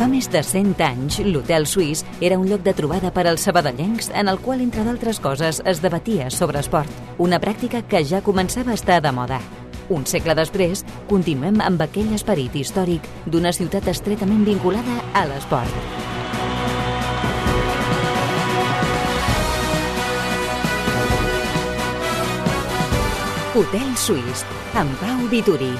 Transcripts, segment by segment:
Fa més de 100 anys, l'Hotel Suís era un lloc de trobada per als sabadellencs en el qual, entre d'altres coses, es debatia sobre esport, una pràctica que ja començava a estar de moda. Un segle després, continuem amb aquell esperit històric d'una ciutat estretament vinculada a l'esport. Hotel Suís, amb Pau Vituri.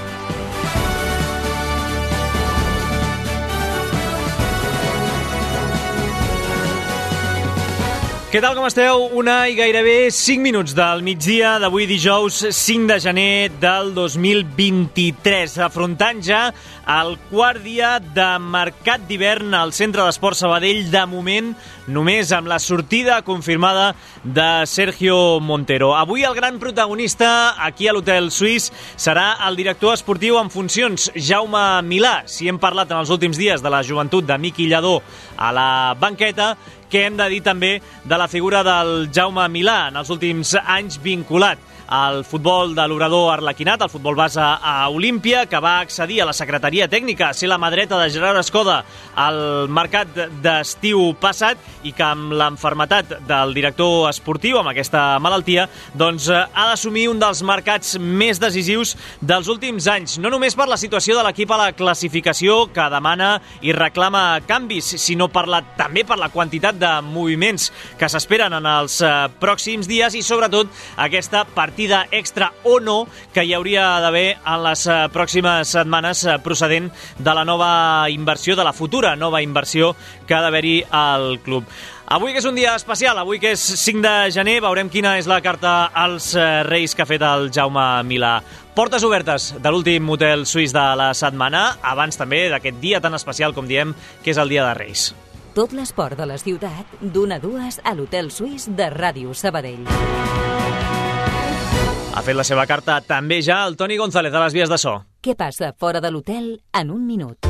Què tal, com esteu? Una i gairebé 5 minuts del migdia d'avui dijous 5 de gener del 2023, afrontant ja el quart dia de mercat d'hivern al Centre d'Esport Sabadell, de moment només amb la sortida confirmada de Sergio Montero. Avui el gran protagonista aquí a l'Hotel Suís serà el director esportiu en funcions, Jaume Milà. Si hem parlat en els últims dies de la joventut de Miqui Lladó a la banqueta, que hem de dir també de la figura del Jaume Milà, en els últims anys vinculat al futbol de l'Obrador Arlequinat, al futbol base a Olímpia, que va accedir a la secretaria tècnica, a ser la mà dreta de Gerard Escoda al mercat d'estiu passat, i que amb l'enfermetat del director esportiu, amb aquesta malaltia, doncs ha d'assumir un dels mercats més decisius dels últims anys, no només per la situació de l'equip a la classificació, que demana i reclama canvis, sinó també per la quantitat de moviments que s'esperen en els pròxims dies, i sobretot aquesta partida extra o no que hi hauria d'haver en les pròximes setmanes procedent de la nova inversió, de la futura nova inversió que ha d'haver-hi al club. Avui que és un dia especial, avui que és 5 de gener, veurem quina és la carta als Reis que ha fet el Jaume Milà. Portes obertes de l'últim hotel suís de la setmana, abans també d'aquest dia tan especial, com diem, que és el Dia de Reis. Tot l'esport de la ciutat, d'1 a 2 a l'Hotel Suís de Ràdio Sabadell. Ha fet la seva carta també ja el Toni González a les vies de so. Què passa fora de l'hotel en un minut?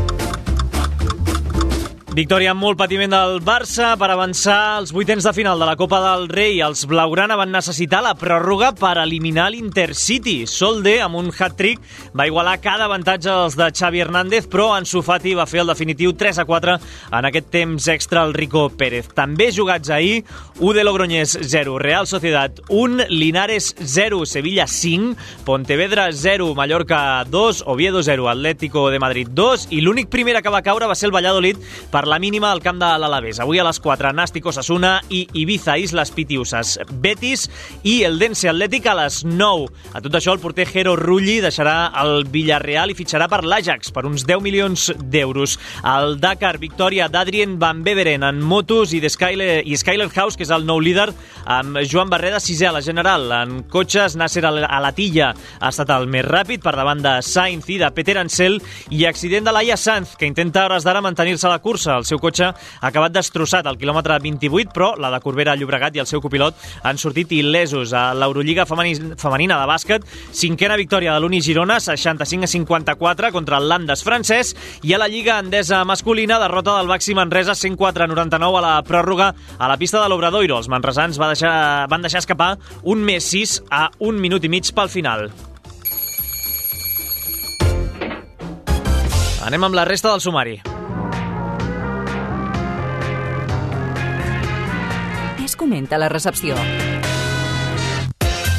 Victòria amb molt patiment del Barça per avançar als vuitens de final de la Copa del Rei. Els blaugrana van necessitar la pròrroga per eliminar l'Intercity. Solde, amb un hat-trick, va igualar cada avantatge dels de Xavi Hernández, però Ansu Fati va fer el definitiu 3-4 en aquest temps extra al Rico Pérez. També jugats ahir, UD Logroñés 0, Real Sociedad 1, Linares 0, Sevilla 5, Pontevedra 0, Mallorca 2, Oviedo 0, Atlético de Madrid 2, i l'únic primera que va caure va ser el Valladolid per la mínima al camp de l'Alavés. Avui a les 4, Nàstic Osasuna i Ibiza Islas Pitiusas Betis, i el Dense Atlètic a les 9. A tot això, el porter Jero Rulli deixarà el Villarreal i fitxarà per l'Ajax per uns 10 milions d'euros. Al Dakar, victòria d'Adrien Van Beveren en motos i Skyler House, que és el nou líder, amb Joan Barreda 6è a la general. En cotxes, Nasser Alatilla ha estat el més ràpid per davant de Sainz i de Peter Ansel, i accident de Laia Sanz, que intenta a hores d'ara mantenir-se a la cursa. El seu cotxe ha acabat destrossat al quilòmetre 28, però la de Corbera Llobregat i el seu copilot han sortit il·lesos. A l'Eurolliga femenina de bàsquet, 5a victòria de l'Uni Girona, 65-54 contra el Landes francès, i a la Lliga Endesa masculina, derrota del Baxi Manresa 104-99 a la pròrroga a la pista de l'Obradoiro. Els manresans van deixar escapar un més 6 a 1 minut i mig pel final. Anem amb la resta del sumari. Es comenta la recepció.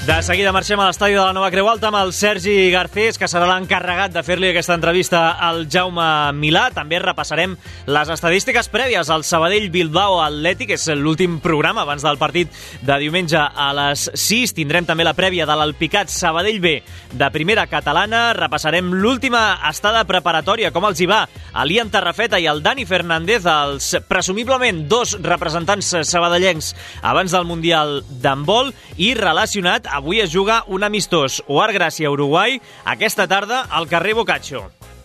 De seguida marxem a l'estadi de la Nova Creu Alta amb el Sergi Garcés, que serà l'encarregat de fer-li aquesta entrevista al Jaume Milà. També repassarem les estadístiques prèvies al Sabadell-Bilbao Atlètic, és l'últim programa abans del partit de diumenge a les 6. Tindrem també la prèvia de l'Alpicat Sabadell B de primera catalana. Repassarem l'última estada preparatòria, com els hi va a l'Ian Tarrafeta i el Dani Fernández, els presumiblement 2 representants sabadellencs abans del Mundial d'handbol, i relacionat, avui es juga un amistós UAR Gràcia-Uruguai aquesta tarda al carrer Boccaccio.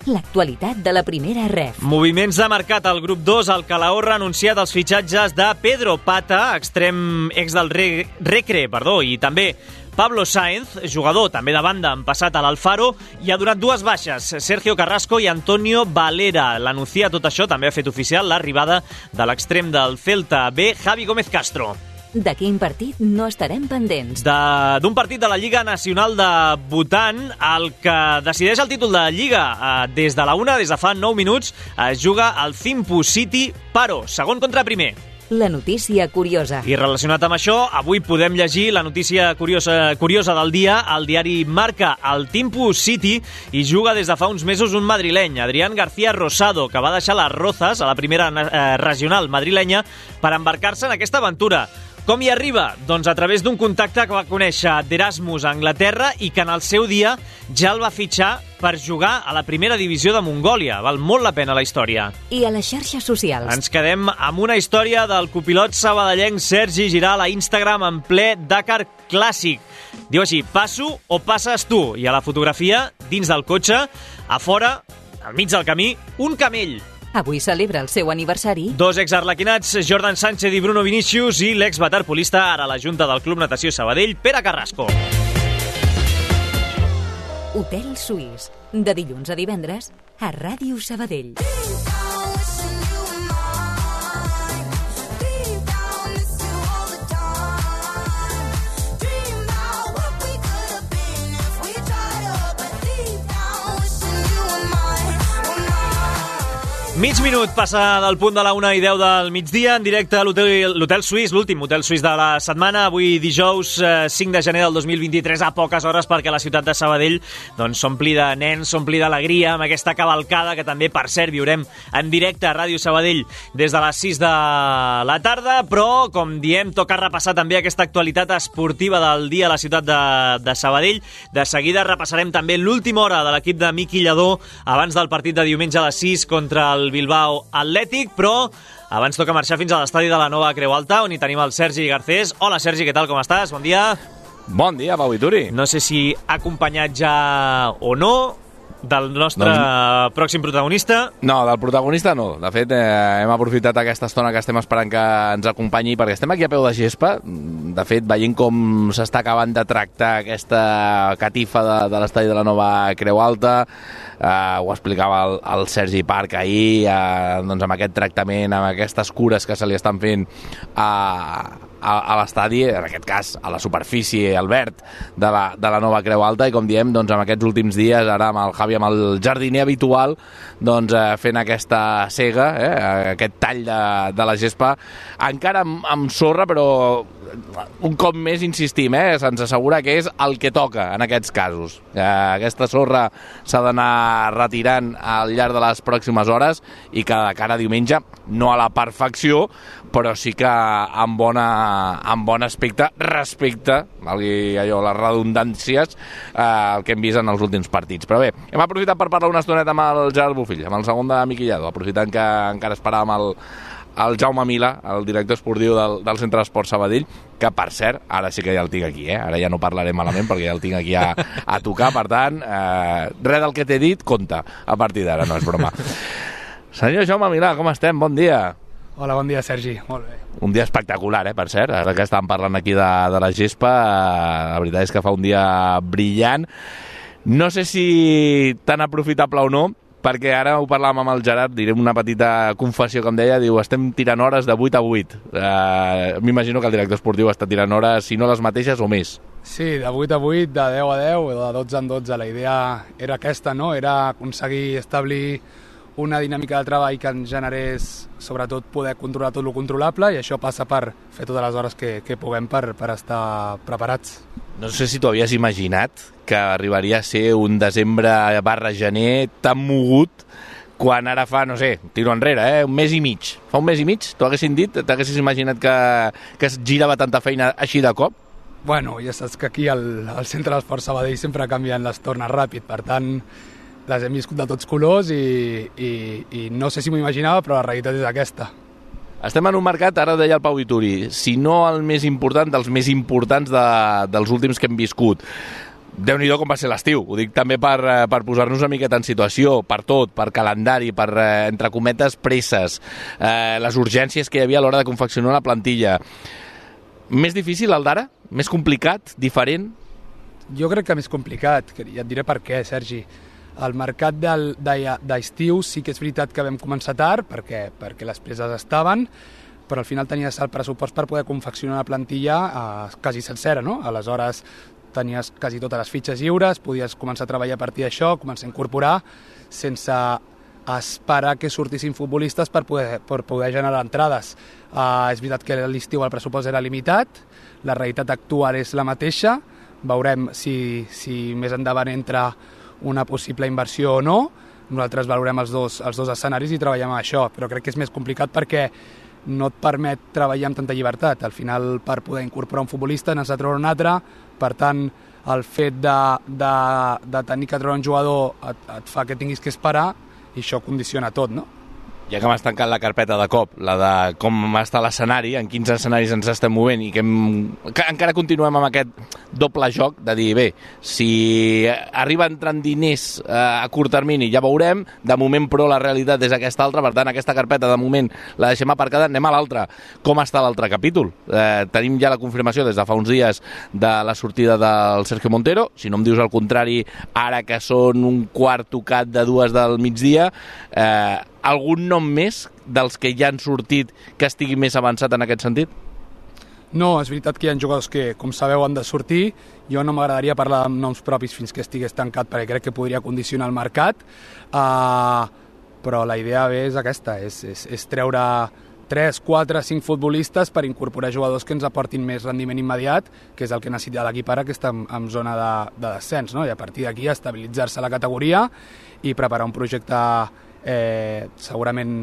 L'actualitat de la primera ref. Moviments de mercat al grup 2. El Calahorra ha anunciat els fitxatges de Pedro Pata, extrem ex del Recre, i també Pablo Sáenz, jugador també de banda en passat a l'Alfaro, i ha donat 2 baixes, Sergio Carrasco i Antonio Valera. L'anuncia tot això, també ha fet oficial l'arribada de l'extrem del Celta B, Javi Gómez Castro. De quin partit no estarem pendents? D'un partit de la Lliga Nacional de Bhutan, el que decideix el títol de Lliga des de la 1, des de fa 9 minuts, es juga al Thimphu City Paro, segon contra primer. La notícia curiosa. I relacionat amb això, avui podem llegir la notícia curiosa del dia al diari Marca. Al Thimphu City hi juga des de fa uns mesos un madrileny, Adrián García Rosado, que va deixar les Rozas a la primera regional madrilenya per embarcar-se en aquesta aventura. Com hi arriba? Doncs a través d'un contacte que va conèixer d'Erasmus a Anglaterra i que en el seu dia ja el va fitxar per jugar a la primera divisió de Mongòlia. Val molt la pena la història. I a les xarxes socials. Ens quedem amb una història del copilot sabadellenc Sergi Giral a Instagram en ple Dakar Clàssic. Diu així: passo o passes tu? I a la fotografia, dins del cotxe, a fora, al mig del camí, un camell. Avui celebra el seu aniversari. Dos exarlequinats, Jordan Sánchez i Bruno Vinícius, i l'ex-waterpolista, ara a la Junta del Club Natació Sabadell, Pere Carrasco. Hotel Suís, de dilluns a divendres, a Ràdio Sabadell. Mig minut passa del punt de la 1:10 del migdia, en directe a l'Hotel Suís, l'últim Hotel Suís de la setmana, avui dijous 5 de gener del 2023, a poques hores perquè la ciutat de Sabadell s'ompli de nens, s'ompli d'alegria amb aquesta cavalcada que també, per cert, viurem en directe a Ràdio Sabadell des de les 6 de la tarda, però, com diem, toca repassar també aquesta actualitat esportiva del dia a la ciutat de Sabadell. De seguida repassarem també l'última hora de l'equip de Miqui Lladó abans del partit de diumenge a les 6 contra el Bilbao Atlètic, però abans toca marxar fins a l'estadi de la Nova Creu Alta, on hi tenim el Sergi Garcés. Hola, Sergi, què tal, com estàs? Bon dia. Bon dia, Pau i Turi. No sé si acompanyat ja o no del nostre pròxim protagonista. No, del protagonista no. De fet, hem aprofitat aquesta estona que estem esperant que ens acompanyi, perquè estem aquí a peu de gespa. De fet, veient com s'està acabant de tractar aquesta catifa de l'estadi de la Nova Creu Alta, ho explicava el Sergi Parc ahir, doncs amb aquest tractament, amb aquestes cures que se li estan fent a l'estadi, en aquest cas a la superfície, al verd de la Nova Creu Alta, i com diem, doncs amb aquests últims dies, ara amb el Javi, amb el jardiner habitual, doncs fent aquesta sega, aquest tall de la gespa, encara amb sorra, però un cop més insistim, se'ns assegura que és el que toca en aquests casos. Aquesta sorra s'ha d'anar retirant al llarg de les pròximes hores i que de cara a diumenge, no a la perfecció, però sí que amb bon aspecte respecte allò, les redundàncies el que hem vist en els últims partits. Però bé, hem aprofitat per parlar una estoneta amb el Gerard Bofill, amb el segon de Miqui Lladó, aprofitant que encara esperàvem el Jaume Milà, el director esportiu del Centre d'Esport Sabadell, que, per cert, ara sí que ja el tinc aquí, ara ja no parlaré malament perquè ja el tinc aquí a tocar, per tant, res del que t'he dit, compta, a partir d'ara, no és broma. Senyor Jaume Milà, com estem? Bon dia. Hola, bon dia, Sergi. Molt bé. Un dia espectacular, per cert, ara que estàvem parlant aquí de la gespa, la veritat és que fa un dia brillant. No sé si tan aprofitable o no, perquè ara ho parlàvem amb el Gerard, direm una petita confessió, com deia, diu, estem tirant hores de 8 a 8. M'imagino que el director esportiu està tirant hores, si no les mateixes o més. Sí, de 8 a 8, de 10 a 10, de 12 en 12. La idea era aquesta, no? Era aconseguir establir una dinàmica de treball que ens generés, sobretot, poder controlar tot el controlable, i això passa per fer totes les hores que puguem per estar preparats. No sé si t'ho havies imaginat que arribaria a ser un desembre/gener tan mogut quan ara fa, no sé, tiro enrere, un mes i mig. Fa un mes i mig, t'ho haguessin dit? T'haguessis imaginat que es girava tanta feina així de cop? Bueno, ja saps que aquí al Centre d'Esport Sabadell sempre canvien les tornes ràpid, per tant, les hem viscut de tots colors i no sé si m'ho imaginava, però la realitat és aquesta. Estem en un mercat, ara deia el Pau Ituri, si no el més important, dels més importants dels últims que hem viscut. Déu-n'hi-do com va ser l'estiu, ho dic també per posar-nos una miqueta en situació, per tot, per calendari, per, entre cometes, presses, les urgències que hi havia a l'hora de confeccionar la plantilla. Més difícil el d'ara? Més complicat? Diferent? Jo crec que més complicat, i et diré per què, Sergi. El mercat d'estiu sí que és veritat que vam començar tard, perquè les preses estaven, però al final tenies el pressupost per poder confeccionar una plantilla quasi sencera, no? Aleshores tenies quasi totes les fitxes lliures, podies començar a treballar a partir d'això, començar a incorporar sense esperar que sortissin futbolistes per poder generar entrades. És veritat que a l'estiu el pressupost era limitat, la realitat actual és la mateixa, veurem si més endavant entra una possible inversió o no. Nosaltres valorem els dos escenaris i treballem amb això, però crec que és més complicat perquè no et permet treballar amb tanta llibertat. Al final, per poder incorporar un futbolista n'has de treure un altre, per tant, el fet de tenir que treure un jugador et fa que tinguis que esperar i això condiciona tot, no? Ja que m'has tancat la carpeta de cop, la de com està l'escenari, en quins escenaris ens estem movent i que encara continuem amb aquest doble joc de dir, bé, si arriba entrant diners a curt termini ja veurem, de moment però la realitat és aquesta altra, per tant aquesta carpeta de moment la deixem aparcada, anem a l'altra. Com està l'altre capítol? Tenim ja la confirmació des de fa uns dies de la sortida del Sergio Montero, si no em dius el contrari, ara que són un quart tocat de 2 del migdia, algun nom més dels que ja han sortit que estigui més avançat en aquest sentit? No, és veritat que hi ha jugadors que, com sabeu, han de sortir. Jo no m'agradaria parlar amb noms propis fins que estigués tancat perquè crec que podria condicionar el mercat, però la idea és aquesta, és treure 3, 4, 5 futbolistes per incorporar jugadors que ens aportin més rendiment immediat, que és el que necessita l'equip ara, que està en zona de descens, no? I a partir d'aquí estabilitzar-se la categoria i preparar un projecte segurament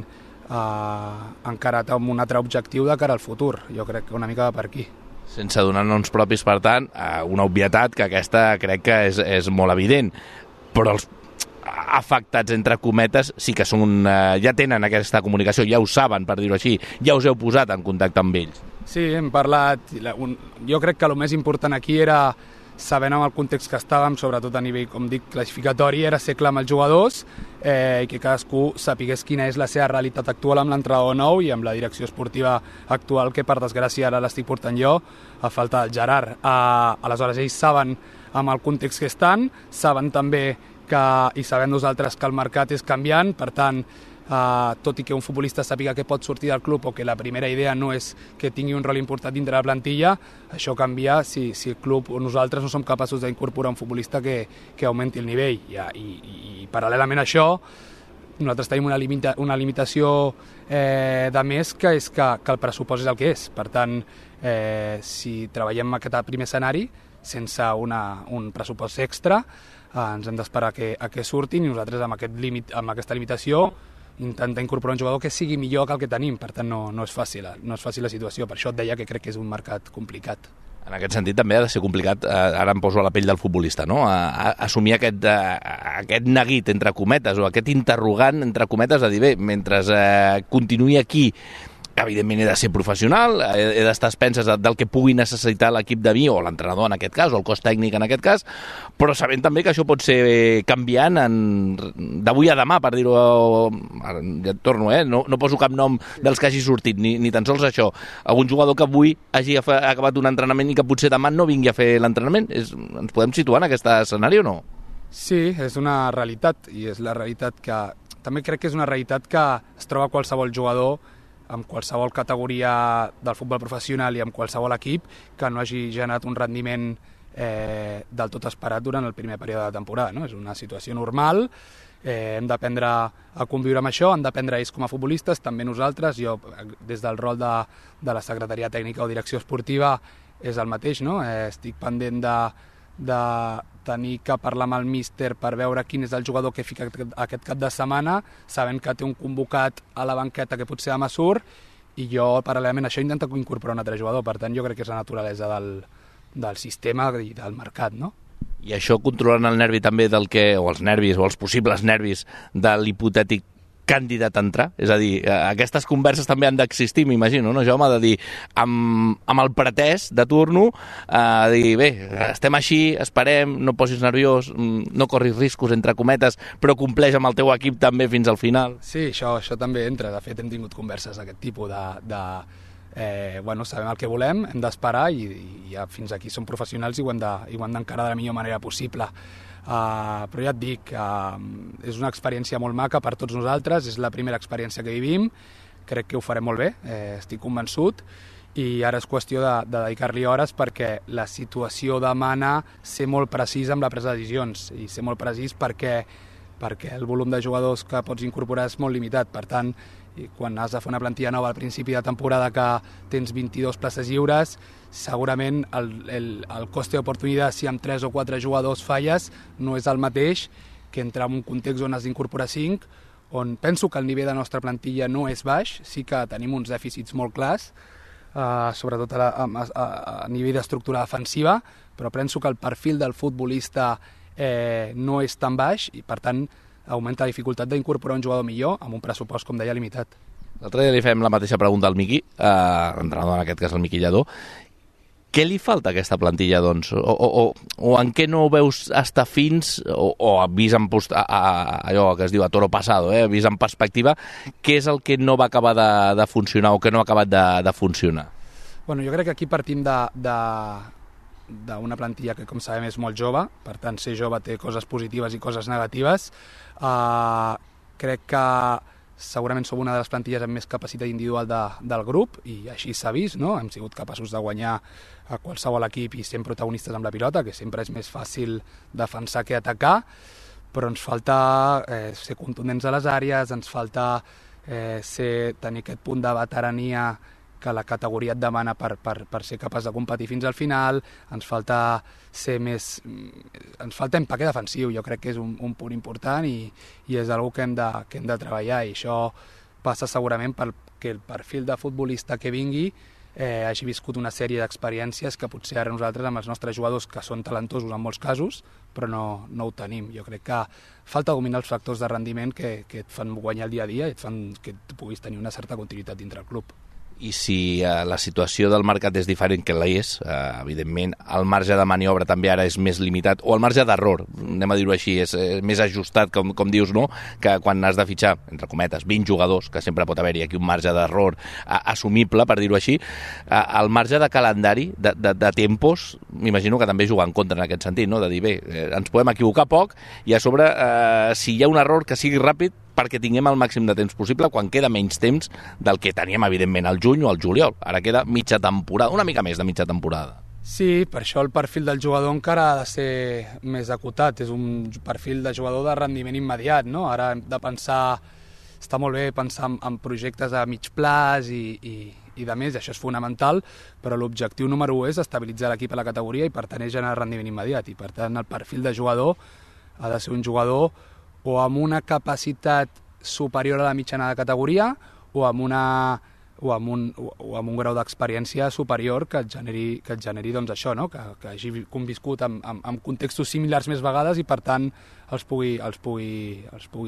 encarat amb un altre objectiu de cara al futur. Jo crec que una mica va per aquí. Sense donar noms propis, per tant, una obvietat que aquesta crec que és molt evident, però els afectats, entre cometes, sí que són, ja tenen aquesta comunicació, ja ho saben, per dir-ho així, ja us heu posat en contacte amb ells. Sí, hem parlat. Jo crec que el més important aquí era, sabent amb el context que estàvem, sobretot a nivell, com dic, classificatori, era ser clar amb els jugadors i que cadascú sapigués quina és la seva realitat actual amb l'entrenador nou i amb la direcció esportiva actual, que per desgràcia ara l'estic portant jo, a falta del Gerard. Aleshores, ells saben amb el context que estan, saben també i sabem nosaltres que el mercat és canviant, per tant, tot i que un futbolista sàpiga que pot sortir del club o que la primera idea no és que tingui un rol important dintre la plantilla, això canvia si el club o nosaltres no som capaços d'incorporar un futbolista que augmenti el nivell. I paral·lelament a això, nosaltres tenim una limitació de més, que és que el pressupost és el que és. Per tant, si treballem en aquest primer escenari sense un pressupost extra, ens hem d'esperar a que surtin, i nosaltres amb aquesta limitació intentar incorporar un jugador que sigui millor que el que tenim. Per tant, no és fàcil la situació. Per això et deia que crec que és un mercat complicat. En aquest sentit també ha de ser complicat, ara em poso a la pell del futbolista, no? Assumir aquest neguit, entre cometes, o aquest interrogant, entre cometes, de dir, bé, mentre continuï aquí, evidentment he de ser professional, he d'estar a expenses del que pugui necessitar l'equip de mi, o l'entrenador en aquest cas, o el cos tècnic en aquest cas, però sabent també que això pot ser canviant d'avui a demà, per dir-ho, ja torno, no poso cap nom dels que hagi sortit, ni tan sols això. Algun jugador que avui hagi acabat un entrenament i que potser demà no vingui a fer l'entrenament. Ens podem situar en aquest escenari o no? Sí, és una realitat, i és la realitat que... També crec que és una realitat que es troba qualsevol jugador amb qualsevol categoria del futbol professional i amb qualsevol equip que no hagi generat un rendiment del tot esperat durant el primer període de temporada, no? És una situació normal, hem d'aprendre a conviure amb això, hem d'aprendre ells com a futbolistes, també nosaltres. Jo, des del rol de la secretaria tècnica o direcció esportiva, és el mateix, no? Estic pendent de tenir que parlar amb el míster per veure quin és el jugador que fica aquest cap de setmana, sabent que té un convocat a la banqueta que potser demà surt, i jo, paral·lelament a això, intento incorporar un altre jugador. Per tant, jo crec que és la naturalesa del sistema i del mercat, no? I això controlant el nervi també o els nervis, o els possibles nervis de l'hipotètic candidat a entrar? És a dir, aquestes converses també han d'existir, m'imagino, no, Jaume? De dir, amb el pretès de turno, dir, bé, estem així, esperem, no posis nerviós, no corris riscos, entre cometes, però compleix amb el teu equip també fins al final. Sí, això també entra. De fet, hem tingut converses d'aquest tipus sabem el que volem, hem d'esperar, i ja fins aquí som professionals i ho hem d'encarar de la millor manera possible. Però ja et dic, és una experiència molt maca per tots nosaltres, és la primera experiència que vivim, crec que ho farem molt bé, estic convençut, i ara és qüestió de dedicar-li hores perquè la situació demana ser molt precís amb la presa de decisions, i ser molt precís perquè el volum de jugadors que pots incorporar és molt limitat. Per tant, quan has de fer una plantilla nova al principi de temporada que tens 22 places lliures, segurament el coste d'oportunitat, si amb 3 o 4 jugadors falles, no és el mateix que entrar en un context on has d'incorporar 5, on penso que el nivell de la nostra plantilla no és baix, sí que tenim uns dèficits molt clars, sobretot a nivell d'estructura defensiva, però penso que el perfil del futbolista no és tan baix i, per tant, augmenta la dificultat d'incorporar un jugador millor amb un pressupost, com deia, limitat. L'altre dia li fem la mateixa pregunta al Miqui, entrenador en aquest cas el Miqui Lladó. Què li falta a aquesta plantilla, doncs? O en què no veus estar fins, o vist en allò que es diu a toro passado, vist en perspectiva, què és el que no va acabar de funcionar o que no ha acabat de funcionar? Bueno, jo crec que aquí partim d'una plantilla que, com sabem, és molt jove, per tant, ser jove té coses positives i coses negatives. Crec que segurament som una de les plantilles amb més capacitat individual del grup, i així s'ha vist, no? Hem sigut capaços de guanyar a qualsevol equip i sent protagonistes amb la pilota, que sempre és més fàcil defensar que atacar, però ens falta ser contundents a les àrees, ens falta tenir aquest punt de veterania que la categoria et demana per ser capaç de competir fins al final, ens falta empaque defensiu, jo crec que és un punt important i és una cosa que hem de treballar, i això passa segurament perquè el perfil de futbolista que vingui hagi viscut una sèrie d'experiències que potser ara nosaltres amb els nostres jugadors, que són talentosos en molts casos, però no ho tenim. Jo crec que falta dominar els factors de rendiment que et fan guanyar el dia a dia i et fan que puguis tenir una certa continuïtat dintre el club. I si la situació del mercat és diferent que la és, evidentment el marge de maniobra també ara és més limitat, o el marge d'error, anem a dir-ho així, és més ajustat, com dius, no? Que quan has de fitxar, entre cometes, 20 jugadors, que sempre pot haver-hi aquí un marge d'error assumible, per dir-ho així, el marge de calendari, de tempos, m'imagino que també juga en contra en aquest sentit, no? De dir, bé, ens podem equivocar poc, i a sobre, si hi ha un error, que sigui ràpid, perquè tinguem el màxim de temps possible quan queda menys temps del que teníem, evidentment, al juny o al juliol. Ara queda mitja temporada, una mica més de mitja temporada. Sí, per això el perfil del jugador encara ha de ser més acotat. És un perfil de jugador de rendiment immediat, no? Ara hem de pensar... Està molt bé pensar en projectes a mig plaç i de més, això és fonamental, però l'objectiu número 1 és estabilitzar l'equip a la categoria i, per tant, és generar rendiment immediat. I, per tant, el perfil de jugador ha de ser un jugador o amb una capacitat superior a la mitjana de categoria o amb un grau d'experiència superior que et generi doncs, això, no? Que hagi conviscut en contextos similars més vegades i, per tant, els pugui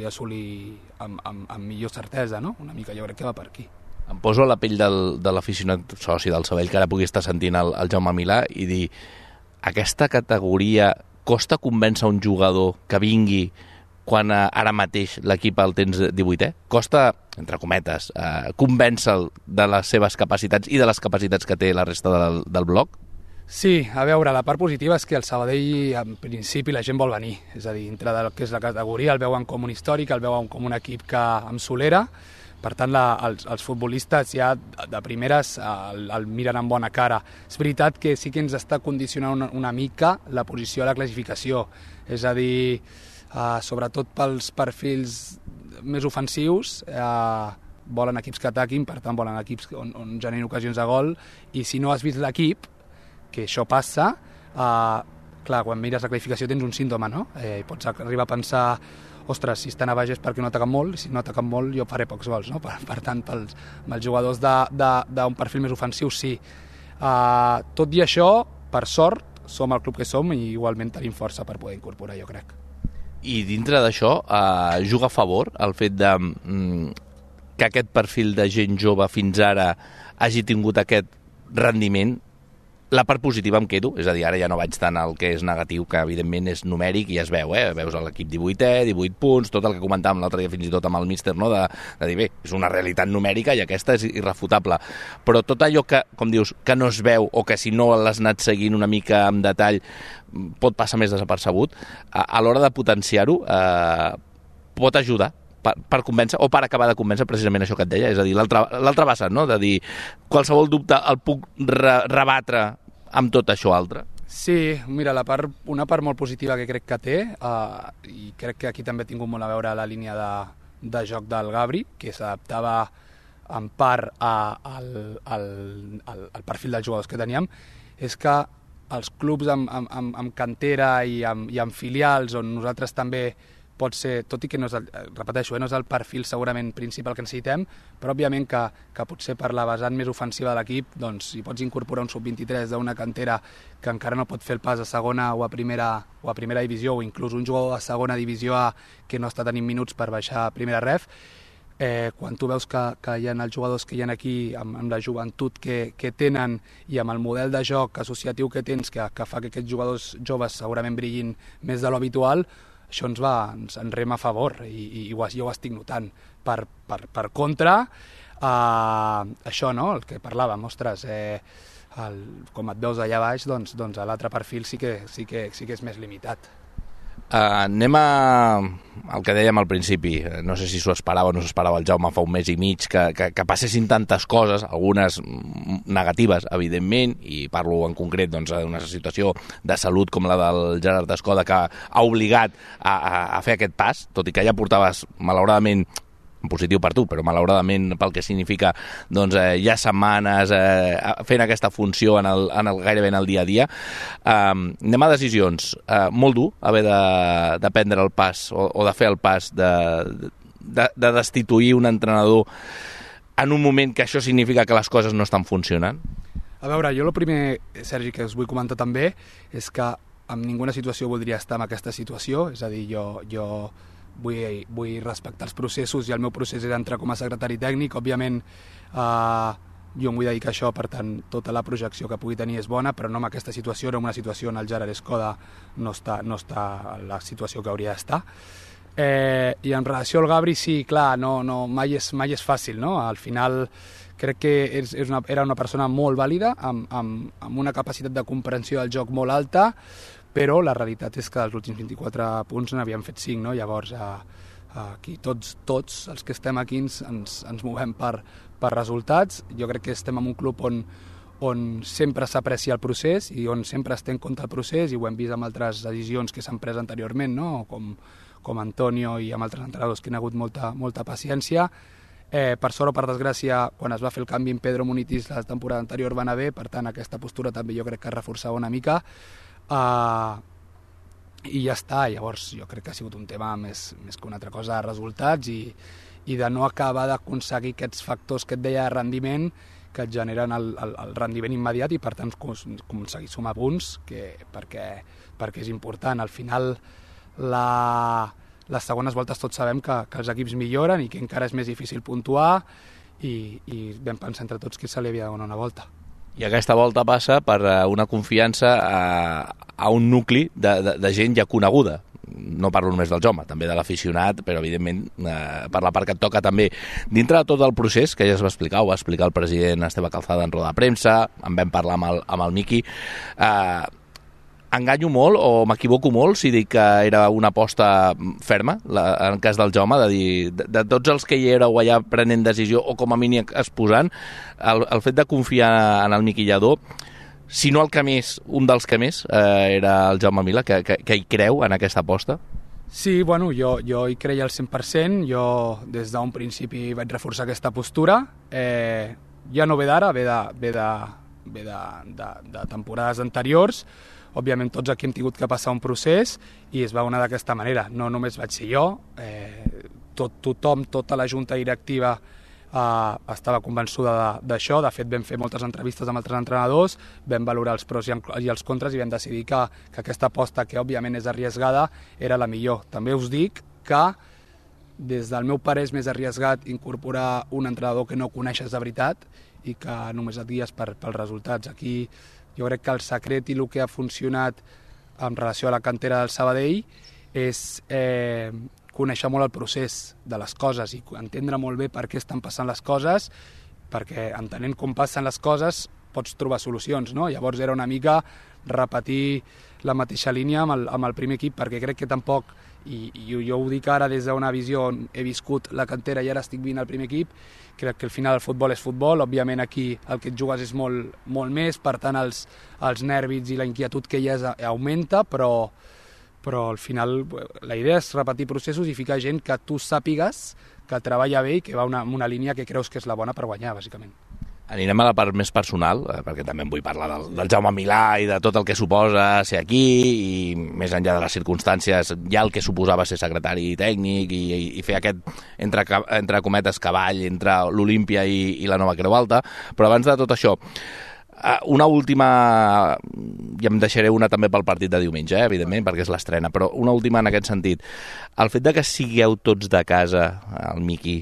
assolir amb millor certesa, no? Una mica jo crec que va per aquí. Em poso a la pell de l'aficionat soci del Sabadell que ara pugui estar sentint el Jaume Milà i dir, aquesta categoria costa convèncer un jugador que vingui quan ara mateix l'equip el tens 18è? Costa, entre cometes, convèncer-lo de les seves capacitats i de les capacitats que té la resta del bloc? Sí, a veure, la part positiva és que el Sabadell, en principi, la gent vol venir. És a dir, dintre del que és la categoria, el veuen com un històric, el veuen com un equip que amb solera. Per tant, els futbolistes ja de primeres el miren amb bona cara. És veritat que sí que ens està condicionant una mica la posició a la classificació. És a dir, sobretot pels perfils més ofensius, volen equips que ataquin, per tant volen equips on generin ocasions de gol, i si no has vist l'equip, que això passa, clar, quan mires la classificació tens un símptoma, no? Pots arribar a pensar, ostres, si estan a baix és perquè no ataquen molt, i si no ataquen molt jo faré pocs gols, no? Per tant, amb els jugadors d'un perfil més ofensiu, sí. Tot i això, per sort, som el club que som i igualment tenim força per poder incorporar, jo crec. I dintre d'això, juga a favor el fet que aquest perfil de gent jove fins ara hagi tingut aquest rendiment? La part positiva em quedo, és a dir, ara ja no vaig tant al que és negatiu, que evidentment és numèric i es veu, veus l'equip 18è, 18 punts, tot el que comentàvem l'altre dia fins i tot amb el míster, no? de dir, bé, és una realitat numèrica i aquesta és irrefutable, però tot allò que, com dius, que no es veu o que si no l'has anat seguint una mica en detall pot passar més desapercebut, a l'hora de potenciar-ho pot ajudar per convèncer o per acabar de convèncer precisament això que et deia, és a dir, l'altre vessant, no? De dir, qualsevol dubte el puc rebatre amb tot això altre? Sí, mira, una part molt positiva que crec que té, i crec que aquí també ha tingut molt a veure la línia de joc del Gabri, que s'adaptava en part al perfil dels jugadors que teníem, és que els clubs amb cantera i amb filials, on nosaltres també pot ser, tot i que no és no és el perfil segurament principal que necessitem, però òbviament que potser per la vessant més ofensiva de l'equip, doncs si pots incorporar un sub-23 d'una cantera que encara no pot fer el pas a segona o a primera divisió, o inclús un jugador de segona divisió A que no està tenint minuts per baixar a primera ref, quan tu veus que hi ha els jugadors que hi ha aquí amb la joventut que tenen i amb el model de joc associatiu que tens que fa que aquests jugadors joves segurament brillin més de l'habitual, això ens rema a favor i jo ho estic notant. Per contra, això, no?, el que parlàvem, ostres, com et veus allà baix, doncs l'altre perfil sí que és més limitat. Anem al que dèiem al principi. No sé si s'ho esperava o no s'esperava el Jaume fa un mes i mig que passessin tantes coses, algunes negatives, evidentment, i parlo en concret d'una situació de salut com la del Gerard Escoda, que ha obligat a fer aquest pas, tot i que ja portaves, malauradament, en positiu per tu, però malauradament pel que significa ja setmanes fent aquesta funció gairebé en el dia a dia. Anem a decisions. Molt dur haver de prendre el pas o de fer el pas de destituir un entrenador en un moment que això significa que les coses no estan funcionant? A veure, jo el primer, Sergi, que us vull comentar també és que en ninguna situació voldria estar en aquesta situació, és a dir, jo vull respectar els processos i el meu procés era entrar com a secretari tècnic. Òbviament jo em vull dedicar a això, per tant tota la projecció que pugui tenir és bona, però no en aquesta situació, no en una situació on el Gerard Escoda no està en la situació que hauria d'estar. I en relació al Gabri, sí, clar, mai és fàcil, no? Al final crec que era una persona molt vàlida, amb una capacitat de comprensió del joc molt alta, però la realitat és que dels últims 24 punts n'havíem fet 5, no? Llavors, aquí tots els que estem aquí ens movem per resultats. Jo crec que estem en un club on sempre s'aprecia el procés i on sempre es té en compte el procés, i ho hem vist amb altres decisions que s'han pres anteriorment, no? Com Antonio i amb altres entrenadors que han hagut molta paciència. Per sort o per desgràcia, quan es va fer el canvi en Pedro Munitis la temporada anterior va anar bé, per tant aquesta postura també jo crec que es reforçava una mica. I ja està. Llavors jo crec que ha sigut un tema més que una altra cosa de resultats i de no acabar d'aconseguir aquests factors que et deia de rendiment que et generen el rendiment immediat i per tant aconseguir sumar punts perquè és important. Al final les segones voltes tots sabem que els equips milloren i que encara és més difícil puntuar i vam pensar entre tots que se li havia de donar una volta. I aquesta volta passa per una confiança a un nucli de gent ja coneguda. No parlo només del Jaume, també de l'aficionat, però evidentment per la part que et toca també. Dintre de tot el procés, que ja es va explicar, ho va explicar el president Esteve Calzada en roda de premsa, en vam parlar amb el Miqui, enganyo molt o m'equivoco molt si dic que era una aposta ferma, en el cas del Jaume, de dir, de tots els que hi éreu allà prenent decisió o com a mínim exposant, el fet de confiar en el Miqui Lladó, si no el que més, un dels que més, era el Jaume Milà, que hi creu en aquesta aposta? Sí, bueno, jo hi creia al 100%, jo des d'un principi vaig reforçar aquesta postura, ja no ve d'ara, ve de temporades anteriors. Òbviament tots aquí hem tingut que passar un procés i es va donar d'aquesta manera. No només vaig ser jo, tothom, tota la junta directiva estava convençuda d'això. De fet, vam fer moltes entrevistes amb altres entrenadors, vam valorar els pros i els contres i vam decidir que aquesta aposta, que òbviament és arriesgada, era la millor. També us dic que des del meu parer és més arriesgat incorporar un entrenador que no coneixes de veritat i que només et guies pels resultats. Aquí jo crec que el secret i el que ha funcionat en relació a la cantera del Sabadell és conèixer molt el procés de les coses i entendre molt bé per què estan passant les coses, perquè entenent com passen les coses pots trobar solucions, no? Llavors era una mica repetir la mateixa línia amb el primer equip, perquè crec que tampoc, i jo ho dic ara des d'una visió on he viscut la cantera i ara estic vivint el primer equip, crec que al final el futbol és futbol, òbviament aquí el que et jugues és molt més, per tant els nervis i la inquietud que hi ha augmenta, però al final la idea és repetir processos i ficar gent que tu sàpigues que treballa bé i que va en una línia que creus que és la bona per guanyar, bàsicament. Anirem a la part més personal, perquè també em vull parlar del Jaume Milà i de tot el que suposa ser aquí, i més enllà de les circumstàncies, ja el que suposava ser secretari tècnic i fer aquest, entre cometes, cavall entre l'Olímpia i la Nova Creu Alta. Però abans de tot això, una última, i em deixaré una també pel partit de diumenge, evidentment, perquè és l'estrena, però una última en aquest sentit. El fet de que sigueu tots de casa, el Miqui,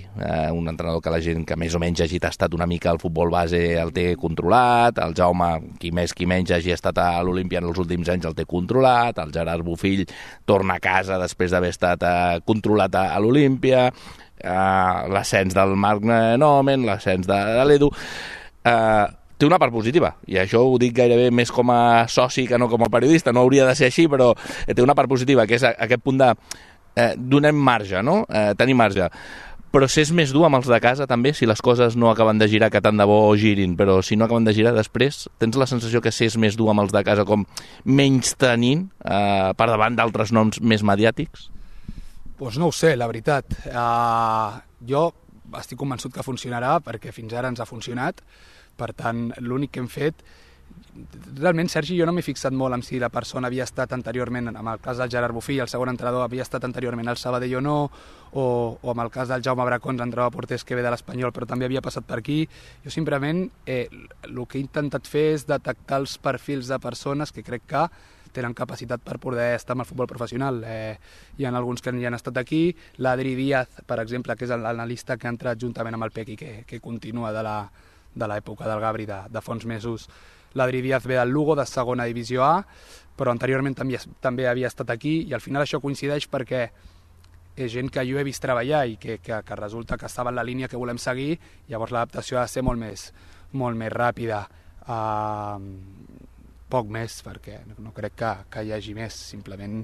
un entrenador que la gent que més o menys hagi tastat una mica el futbol base el té controlat, el Jaume, qui més qui menys hagi estat a l'Olímpia en els últims anys el té controlat, el Gerard Bofill torna a casa després d'haver estat controlat a l'Olímpia, l'ascens del Marc Nomen, l'ascens de l'Edu... té una part positiva, i això ho dic gairebé més com a soci que no com a periodista, no hauria de ser així, però té una part positiva, que és aquest punt de donem marge, no? Tenir marge. Però s'és més dur amb els de casa també, si les coses no acaben de girar, que tant de bo girin, però si no acaben de girar després, tens la sensació que s'és més dur amb els de casa, com menys tenint per davant d'altres noms més mediàtics? Doncs no ho sé, la veritat. Jo estic convençut que funcionarà, perquè fins ara ens ha funcionat. Per tant, l'únic que hem fet... Realment, Sergi, jo no m'he fixat molt en si la persona havia estat anteriorment, en el cas del Gerard Bofill, el segon entrenador havia estat anteriorment al Sabadell o no, o en el cas del Jaume Bracons, entrenador porters que ve de l'Espanyol, però també havia passat per aquí. Jo simplement el que he intentat fer és detectar els perfils de persones que crec que tenen capacitat per poder estar amb el futbol professional. Hi ha alguns que ja han estat aquí, l'Adri Díaz, per exemple, que és l'analista que ha entrat juntament amb el Pequi, que continua de l'època del Gabri de fa uns mesos. L'Adri Díaz ve del Lugo, de segona divisió A, però anteriorment també havia estat aquí, i al final això coincideix perquè és gent que jo he vist treballar i que resulta que estava en la línia que volem seguir, llavors l'adaptació ha de ser molt més ràpida. Poc més, perquè no crec que hi hagi més, simplement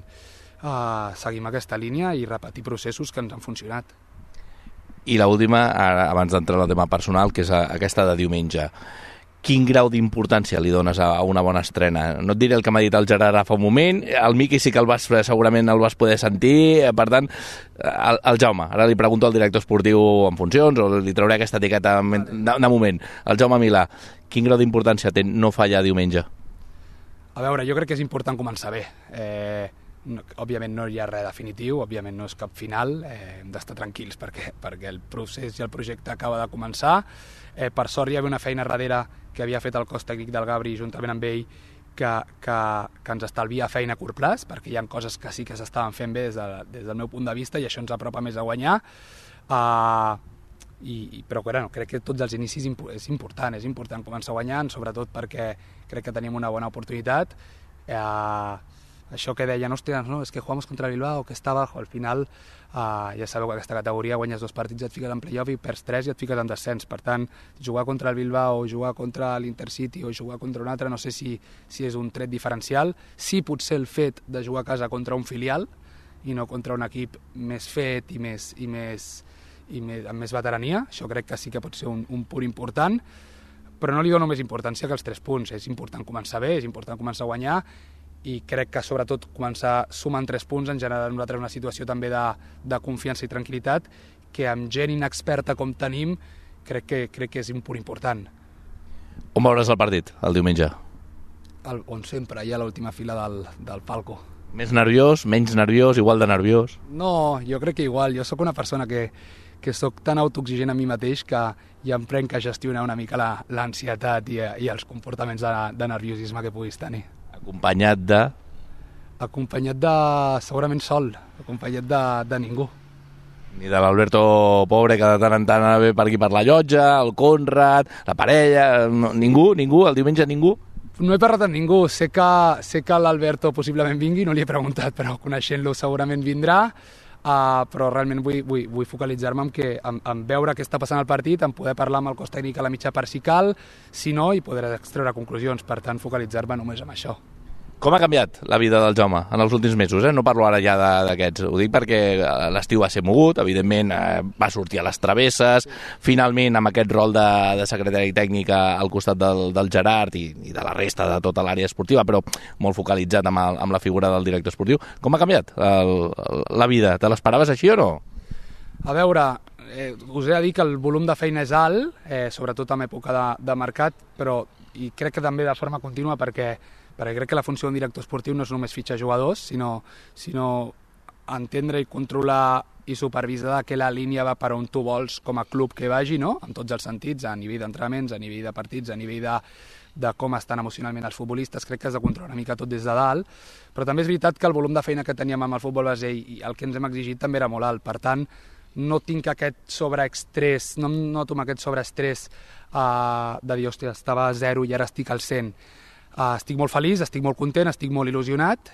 seguim aquesta línia i repetir processos que ens han funcionat. I l'última, abans d'entrar en el tema personal, que és aquesta de diumenge. Quin grau d'importància li dones a una bona estrena? No et diré el que m'ha dit el Gerard fa un moment, el Miqui sí que segurament el vas poder sentir, per tant, el Jaume, ara li pregunto al director esportiu en funcions, o li trauré aquesta etiqueta de moment. El Jaume Milà, quin grau d'importància té no fallar diumenge? A veure, jo crec que és important començar bé. Òbviament no hi ha res definitiu, òbviament no és cap final, hem d'estar tranquils perquè el procés i el projecte acaba de començar. Per sort hi havia una feina darrere que havia fet el cos tècnic del Gabri juntament amb ell que ens estalvia feina a curt plaç, perquè hi ha coses que sí que s'estaven fent bé des del meu punt de vista i això ens apropa més a guanyar. Però crec que tots els inicis és important començar guanyant, sobretot perquè crec que tenim una bona oportunitat. Això que deien, hòstia, no, és que jugamos contra el Bilbao, que està abajo, al final ja sabeu que aquesta categoria guanyes 2 partits, et fiques en playoff i perds 3 i et fiques en descens. Per tant, jugar contra el Bilbao, jugar contra l'Intercity o jugar contra un altre, no sé si és un tret diferencial. Sí, potser el fet de jugar a casa contra un filial i no contra un equip més fet i amb més veterania, això crec que sí que pot ser un punt important, però no li dono més importància que els 3 punts. És important començar bé, és important començar a guanyar, i crec que sobretot començar sumant 3 punts en general a nosaltres una situació també de confiança i tranquil·litat que amb gent inexperta com tenim crec que és un punt important. On veuràs el partit, el diumenge? On sempre, allà a l'última fila del palco. Més nerviós, menys nerviós, igual de nerviós? No, jo crec que igual. Jo sóc una persona que sóc tan autoexigent a mi mateix que ja em prenc a gestionar una mica l'ansietat i els comportaments de nerviosisme que puguis tenir. Acompanyat de... Acompanyat de... segurament sol, acompanyat de ningú. Ni de l'Alberto Pobre, que de tant en tant ve per aquí per la llotja, el Conrad, la parella... No, ningú? El diumenge ningú? No he parlat amb ningú, sé que l'Alberto possiblement vingui, no li he preguntat, però coneixent-lo segurament vindrà. però realment vull focalitzar-me en veure què està passant al partit, en poder parlar amb el cos tècnic a la mitja part si cal, si no, i poder extreure conclusions. Per tant, focalitzar-me només en això. Com ha canviat la vida del Jaume en els últims mesos? No parlo ara ja d'aquests. Ho dic perquè l'estiu va ser mogut, evidentment va sortir a les travesses, finalment amb aquest rol de secretari tècnic al costat del Gerard i de la resta de tota l'àrea esportiva, però molt focalitzat amb la figura del director esportiu. Com ha canviat la vida? Te l'esperaves així o no? A veure, us he de dir que el volum de feina és alt, sobretot en època de mercat, però i crec que també de forma contínua perquè crec que la funció d'un director esportiu no és només fitxar jugadors, sinó entendre i controlar i supervisar que la línia va per on tu vols com a club que vagi, no? En tots els sentits, a nivell d'entrenaments, a nivell de partits, a nivell de com estan emocionalment els futbolistes. Crec que has de controlar una mica tot des de dalt, però també és veritat que el volum de feina que teníem amb el futbol base i el que ens hem exigit també era molt alt. Per tant, no tinc aquest sobreestrès, no em noto amb aquest sobreestrès de dir, hòstia, estava a 0 i ara estic al 100. Estic molt feliç, estic molt content, estic molt il·lusionat,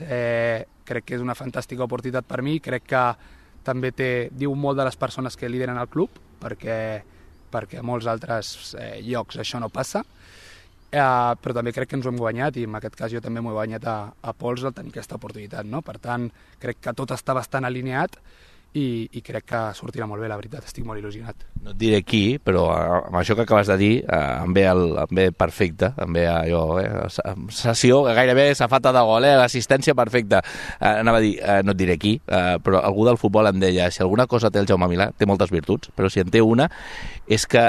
crec que és una fantàstica oportunitat per mi, crec que també diu molt de les persones que lideren el club, perquè a molts altres llocs això no passa, però també crec que ens ho hem guanyat i en aquest cas jo també m'ho he guanyat a pols al tenir aquesta oportunitat, no? Per tant, crec que tot està bastant alineat i crec que sortirà molt bé, la veritat, estic molt il·lusionat. No et diré qui, però amb això que acabes de dir em ve perfecte, em ve allò, sessió, gairebé safata de gol, l'assistència perfecta. Anava a dir, no et diré qui, però algú del futbol em deia, si alguna cosa té el Jaume Milà, té moltes virtuts, però si en té una, és que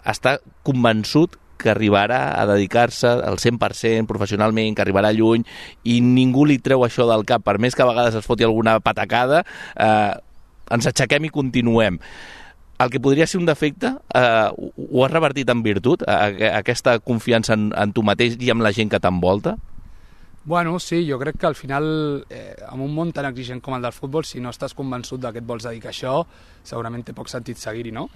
està convençut que arribarà a dedicar-se al 100% professionalment, que arribarà lluny i ningú li treu això del cap, per més que a vegades es foti alguna patacada, ens aixequem i continuem. El que podria ser un defecte ho has revertit en virtut, aquesta confiança en tu mateix i amb la gent que t'envolta? Bueno, sí, jo crec que al final, en un món tan exigent com el del futbol, si no estàs convençut que et vols dedicar a això, segurament té poc sentit seguir-hi, no?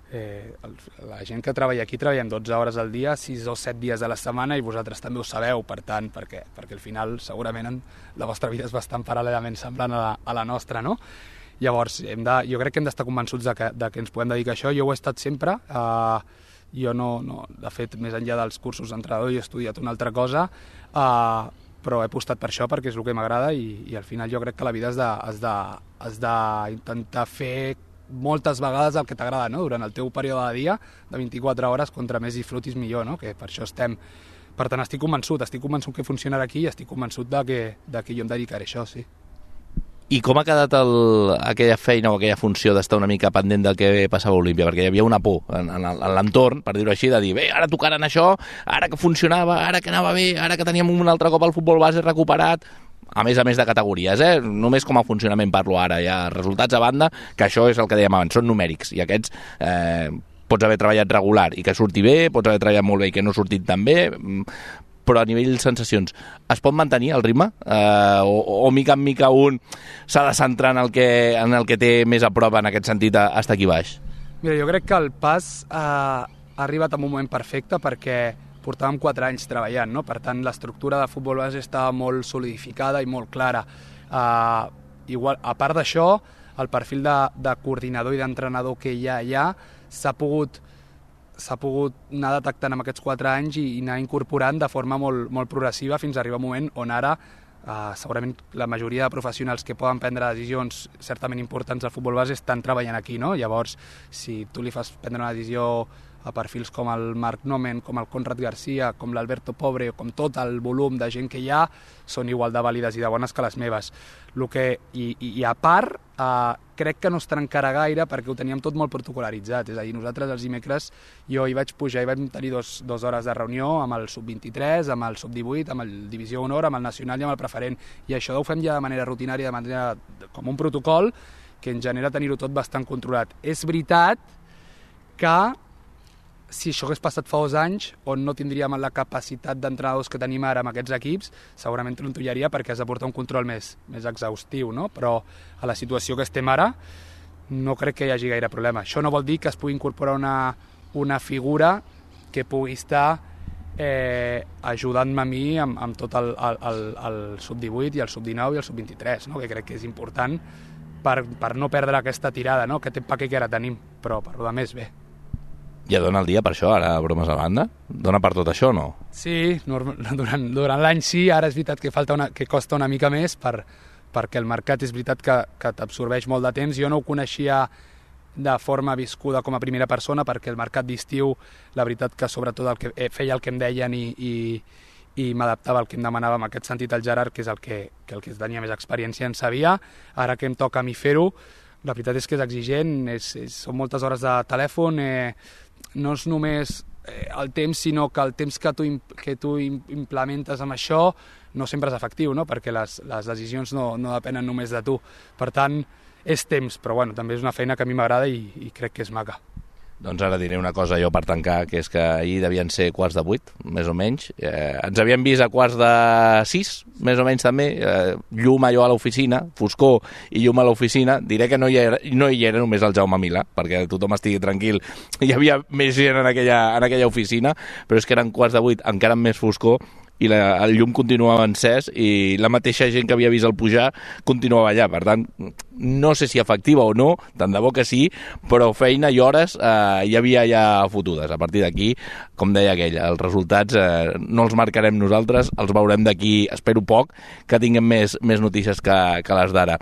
La gent que treballa aquí treballem 12 hores al dia, 6 o 7 dies a la setmana i vosaltres també ho sabeu, per tant, perquè al final segurament la vostra vida és bastant paral·lelament semblant a la nostra, no? Llavors, jo crec que hem d'estar convençuts de que ens podem dedicar a això. Jo ho he estat sempre, jo no, de fet, més enllà dels cursos d'entrenador, jo he estudiat una altra cosa, però he apostat per això perquè és el que m'agrada i al final jo crec que la vida has d'intentar fer moltes vegades el que t'agrada, no? Durant el teu període de dia, de 24 hores, contra més disfrutis millor, no? Que per això estem. Per tant, estic convençut que funcionarà aquí i estic convençut de que jo em dedicaré a això, sí. I com ha quedat aquella feina o aquella funció d'estar una mica pendent del que passava a Olímpia? Perquè hi havia una por en l'entorn, per dir-ho així, de dir, bé, ara tocaran això, ara que funcionava, ara que anava bé, ara que teníem un altre cop el futbol base recuperat, a més de categories, només com a funcionament parlo ara, ja resultats a banda, que això és el que dèiem abans, són numèrics, i aquests pots haver treballat regular i que surti bé, pots haver treballat molt bé i que no ha sortit tan bé, però a nivell de sensacions, es pot mantenir el ritme? O mica en mica un s'ha de centrar en el que té més a prop en aquest sentit a estar aquí baix? Mira, jo crec que el pas ha arribat en un moment perfecte perquè portàvem 4 anys treballant, no? Per tant, l'estructura de futbol base estava molt solidificada i molt clara. Igual, a part d'això, el perfil de coordinador i d'entrenador que hi ha s'ha pogut anar detectant en aquests 4 anys i anar incorporant de forma molt, molt progressiva fins a arribar a un moment on ara segurament la majoria de professionals que poden prendre decisions certament importants al futbol base estan treballant aquí, no? Llavors, si tu li fas prendre una decisió a perfils com el Marc Nomen, com el Conrad Garcia, com l'Alberto Pobre, com tot el volum de gent que hi ha, són igual de vàlides i de bones que les meves. I a part, crec que no es trencarà gaire perquè ho teníem tot molt protocolaritzat. És a dir, nosaltres els dimecres jo hi vaig pujar i vam tenir 2 hores de reunió amb el sub-23, amb el sub-18, amb el Divisió Honor, amb el Nacional i amb el Preferent. I això ho fem ja de manera rutinària, com un protocol que ens genera tenir-ho tot bastant controlat. És veritat que si això hagués passat fa 2 anys, on no tindríem la capacitat d'entrenadors que tenim ara amb aquests equips, segurament trontollaria perquè has de portar un control més exhaustiu, no? Però a la situació que estem ara no crec que hi hagi gaire problema. Això no vol dir que es pugui incorporar una figura que pugui estar ajudant-me a mi amb tot el sub-18 i el sub-19 i el sub-23, no? Que crec que és important per no perdre aquesta tirada, no? Aquest empaque que ara tenim, però per lo de més bé. Ja dona el dia per això, ara, bromes a banda? Dona per tot això o no? Sí, durant l'any sí, ara és veritat que costa una mica més perquè el mercat és veritat que t'absorbeix molt de temps. Jo no ho coneixia de forma viscuda com a primera persona perquè el mercat d'estiu, la veritat que sobretot feia el que em deien i m'adaptava al que em demanava en aquest sentit el Gerard, que és el que tenia més experiència en sabia. Ara que em toca a mi fer-ho, la veritat és que és exigent, són moltes hores de telèfon, no és només el temps, sinó que el temps que tu implementes amb això no sempre és efectiu, no? Perquè les decisions no depenen només de tu. Per tant, és temps, però bueno, també és una feina que a mi m'agrada i crec que és maca. Doncs ara diré una cosa jo per tancar, que és que ahir devien ser 7:15, més o menys. Ens havíem vist a 5:45, més o menys també. Llum allò a l'oficina, foscor i llum a l'oficina. Diré que no hi era només el Jaume Milà, perquè tothom estigui tranquil. Hi havia més gent en aquella oficina, però és que eren 7:15, encara amb més foscor, i el llum continuava encès i la mateixa gent que havia vist el pujar continuava allà. Per tant, no sé si efectiva o no, tant de bo que sí, però feina i hores hi havia ja fotudes. A partir d'aquí, com deia aquell, els resultats no els marcarem nosaltres, els veurem d'aquí, espero poc, que tinguem més notícies que les d'ara.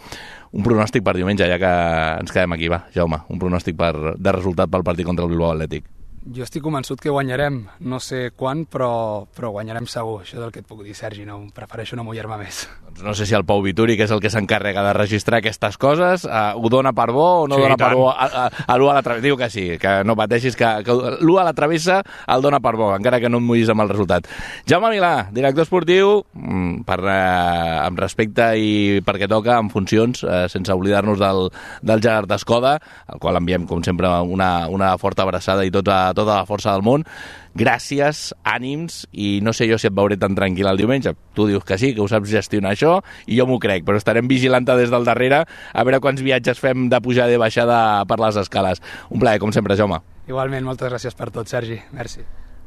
Un pronòstic per diumenge, ja que ens quedem aquí, va, Jaume, un pronòstic de resultat pel partit contra el Bilbao Atlètic. Jo estic convençut que guanyarem, no sé quan, però guanyarem segur. Això és el que et puc dir, Sergi, no, prefereixo no mullar-me més. Doncs no sé si el Pau Vituri, que és el que s'encarrega de registrar aquestes coses, ho dona per bo o no sí, dona per bo a l'1 a la travessa. Diu que sí, que no pateixis, que l'1 a la travessa el dona per bo, encara que no et mullis amb el resultat. Jaume Milà, director esportiu, amb respecte i perquè toca, en funcions, sense oblidar-nos del Gerard Escoda, al qual enviem, com sempre, una forta abraçada i tota la força del món. Gràcies, ànims, i no sé jo si et veuré tan tranquil el diumenge. Tu dius que sí, que ho saps gestionar això, i jo m'ho crec, però estarem vigilant-te des del darrere a veure quants viatges fem de pujada i baixada per les escales. Un plaer, com sempre, Jaume. Igualment, moltes gràcies per tot, Sergi. Merci.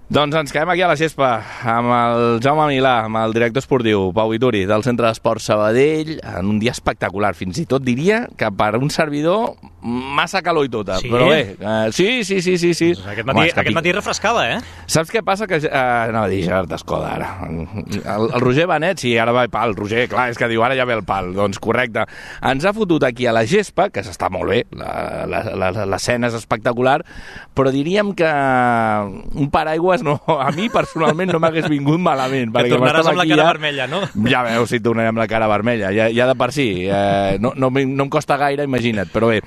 Doncs ens quedem aquí a la gespa amb el Jaume Milà, amb el director esportiu Pau Vituri del Centre d'Esport Sabadell, en un dia espectacular, fins i tot diria que per un servidor massa calor i tota, sí? Però bé, sí. Doncs aquest matí refrescava, Saps què passa? Que anava a dir Gerard Escoda ara. El Roger Benet, sí, ara va el Roger, clar, és que diu ara ja ve el pal. Doncs correcte. Ens ha fotut aquí a la gespa, que s'està molt bé, l'escena és espectacular, però diríem que un paraigües a mi personalment no m'hagués vingut malament. Que tornaràs amb la cara vermella, no? Ja veus si tornaré amb la cara vermella, ja de per si. No em costa gaire, imagina't, però bé.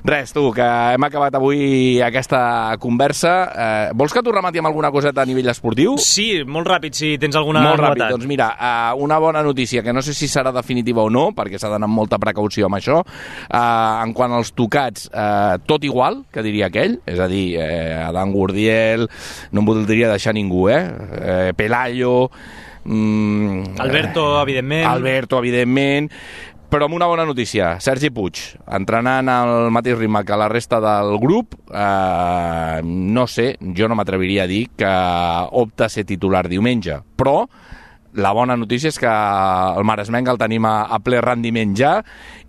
Res, tu, que hem acabat avui aquesta conversa. Vols que t'ho remati amb alguna coseta a nivell esportiu? Sí, molt ràpid, si tens alguna novetat. Molt ràpid, doncs mira, una bona notícia, que no sé si serà definitiva o no, perquè s'ha d'anar amb molta precaució amb això. En quant als tocats, tot igual, que diria aquell, és a dir, Adam Gurdiel, no em voldria deixar ningú, Pelayo... Alberto, evidentment, però amb una bona notícia. Sergi Puig, entrenant al mateix ritme que la resta del grup, no sé, jo no m'atreviria a dir que opta a ser titular diumenge, però la bona notícia és que el Maresmenc el tenim a ple rendiment ja,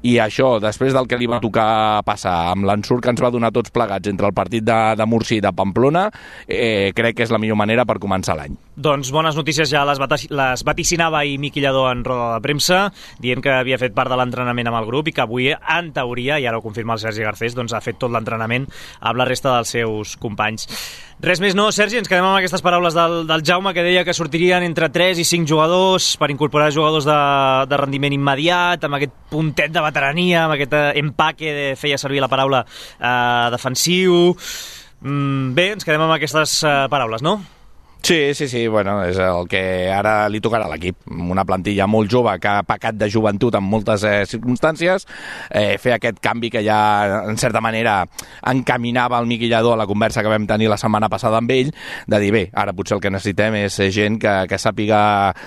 i això, després del que li va tocar passar amb l'ensurt que ens va donar tots plegats entre el partit de Múrcia i de Pamplona, crec que és la millor manera per començar l'any. Doncs bones notícies ja les vaticinava ahir Miqui Lladó en roda de premsa, dient que havia fet part de l'entrenament amb el grup i que avui, en teoria, i ara ho confirma el Sergi Garcés, doncs ha fet tot l'entrenament amb la resta dels seus companys. Res més no, Sergi, ens quedem amb aquestes paraules del Jaume, que deia que sortirien entre 3 i 5 jugadors per incorporar jugadors de rendiment immediat, amb aquest puntet de veterania, amb aquest empaque, feia servir la paraula defensiu. Bé, ens quedem amb aquestes paraules, no? Sí, bueno, és el que ara li tocarà a l'equip. Una plantilla molt jove que ha pecat de joventut en moltes circumstàncies, fer aquest canvi que ja, en certa manera, encaminava el Miqui Lladó a la conversa que vam tenir la setmana passada amb ell, de dir, bé, ara potser el que necessitem és gent que sàpiga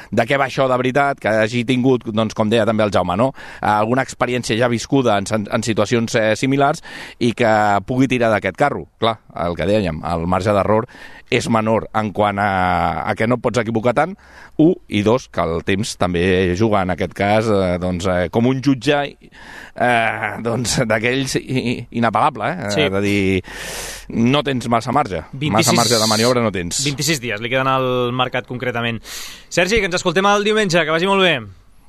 de què va això de veritat, que hagi tingut, doncs, com deia també el Jaume, no? Alguna experiència ja viscuda en situacions similars i que pugui tirar d'aquest carro. Clar, el que dèiem, el marge d'error és menor en quant a a que no et pots equivocar tant, 1, i 2, que el temps també juga en aquest cas com un jutge d'aquells inapagable, Sí. És a dir, no tens massa marge. Massa marge de maniobra no tens. 26 dies li queden al mercat concretament. Sergi, que ens escoltem el diumenge, que vagi molt bé.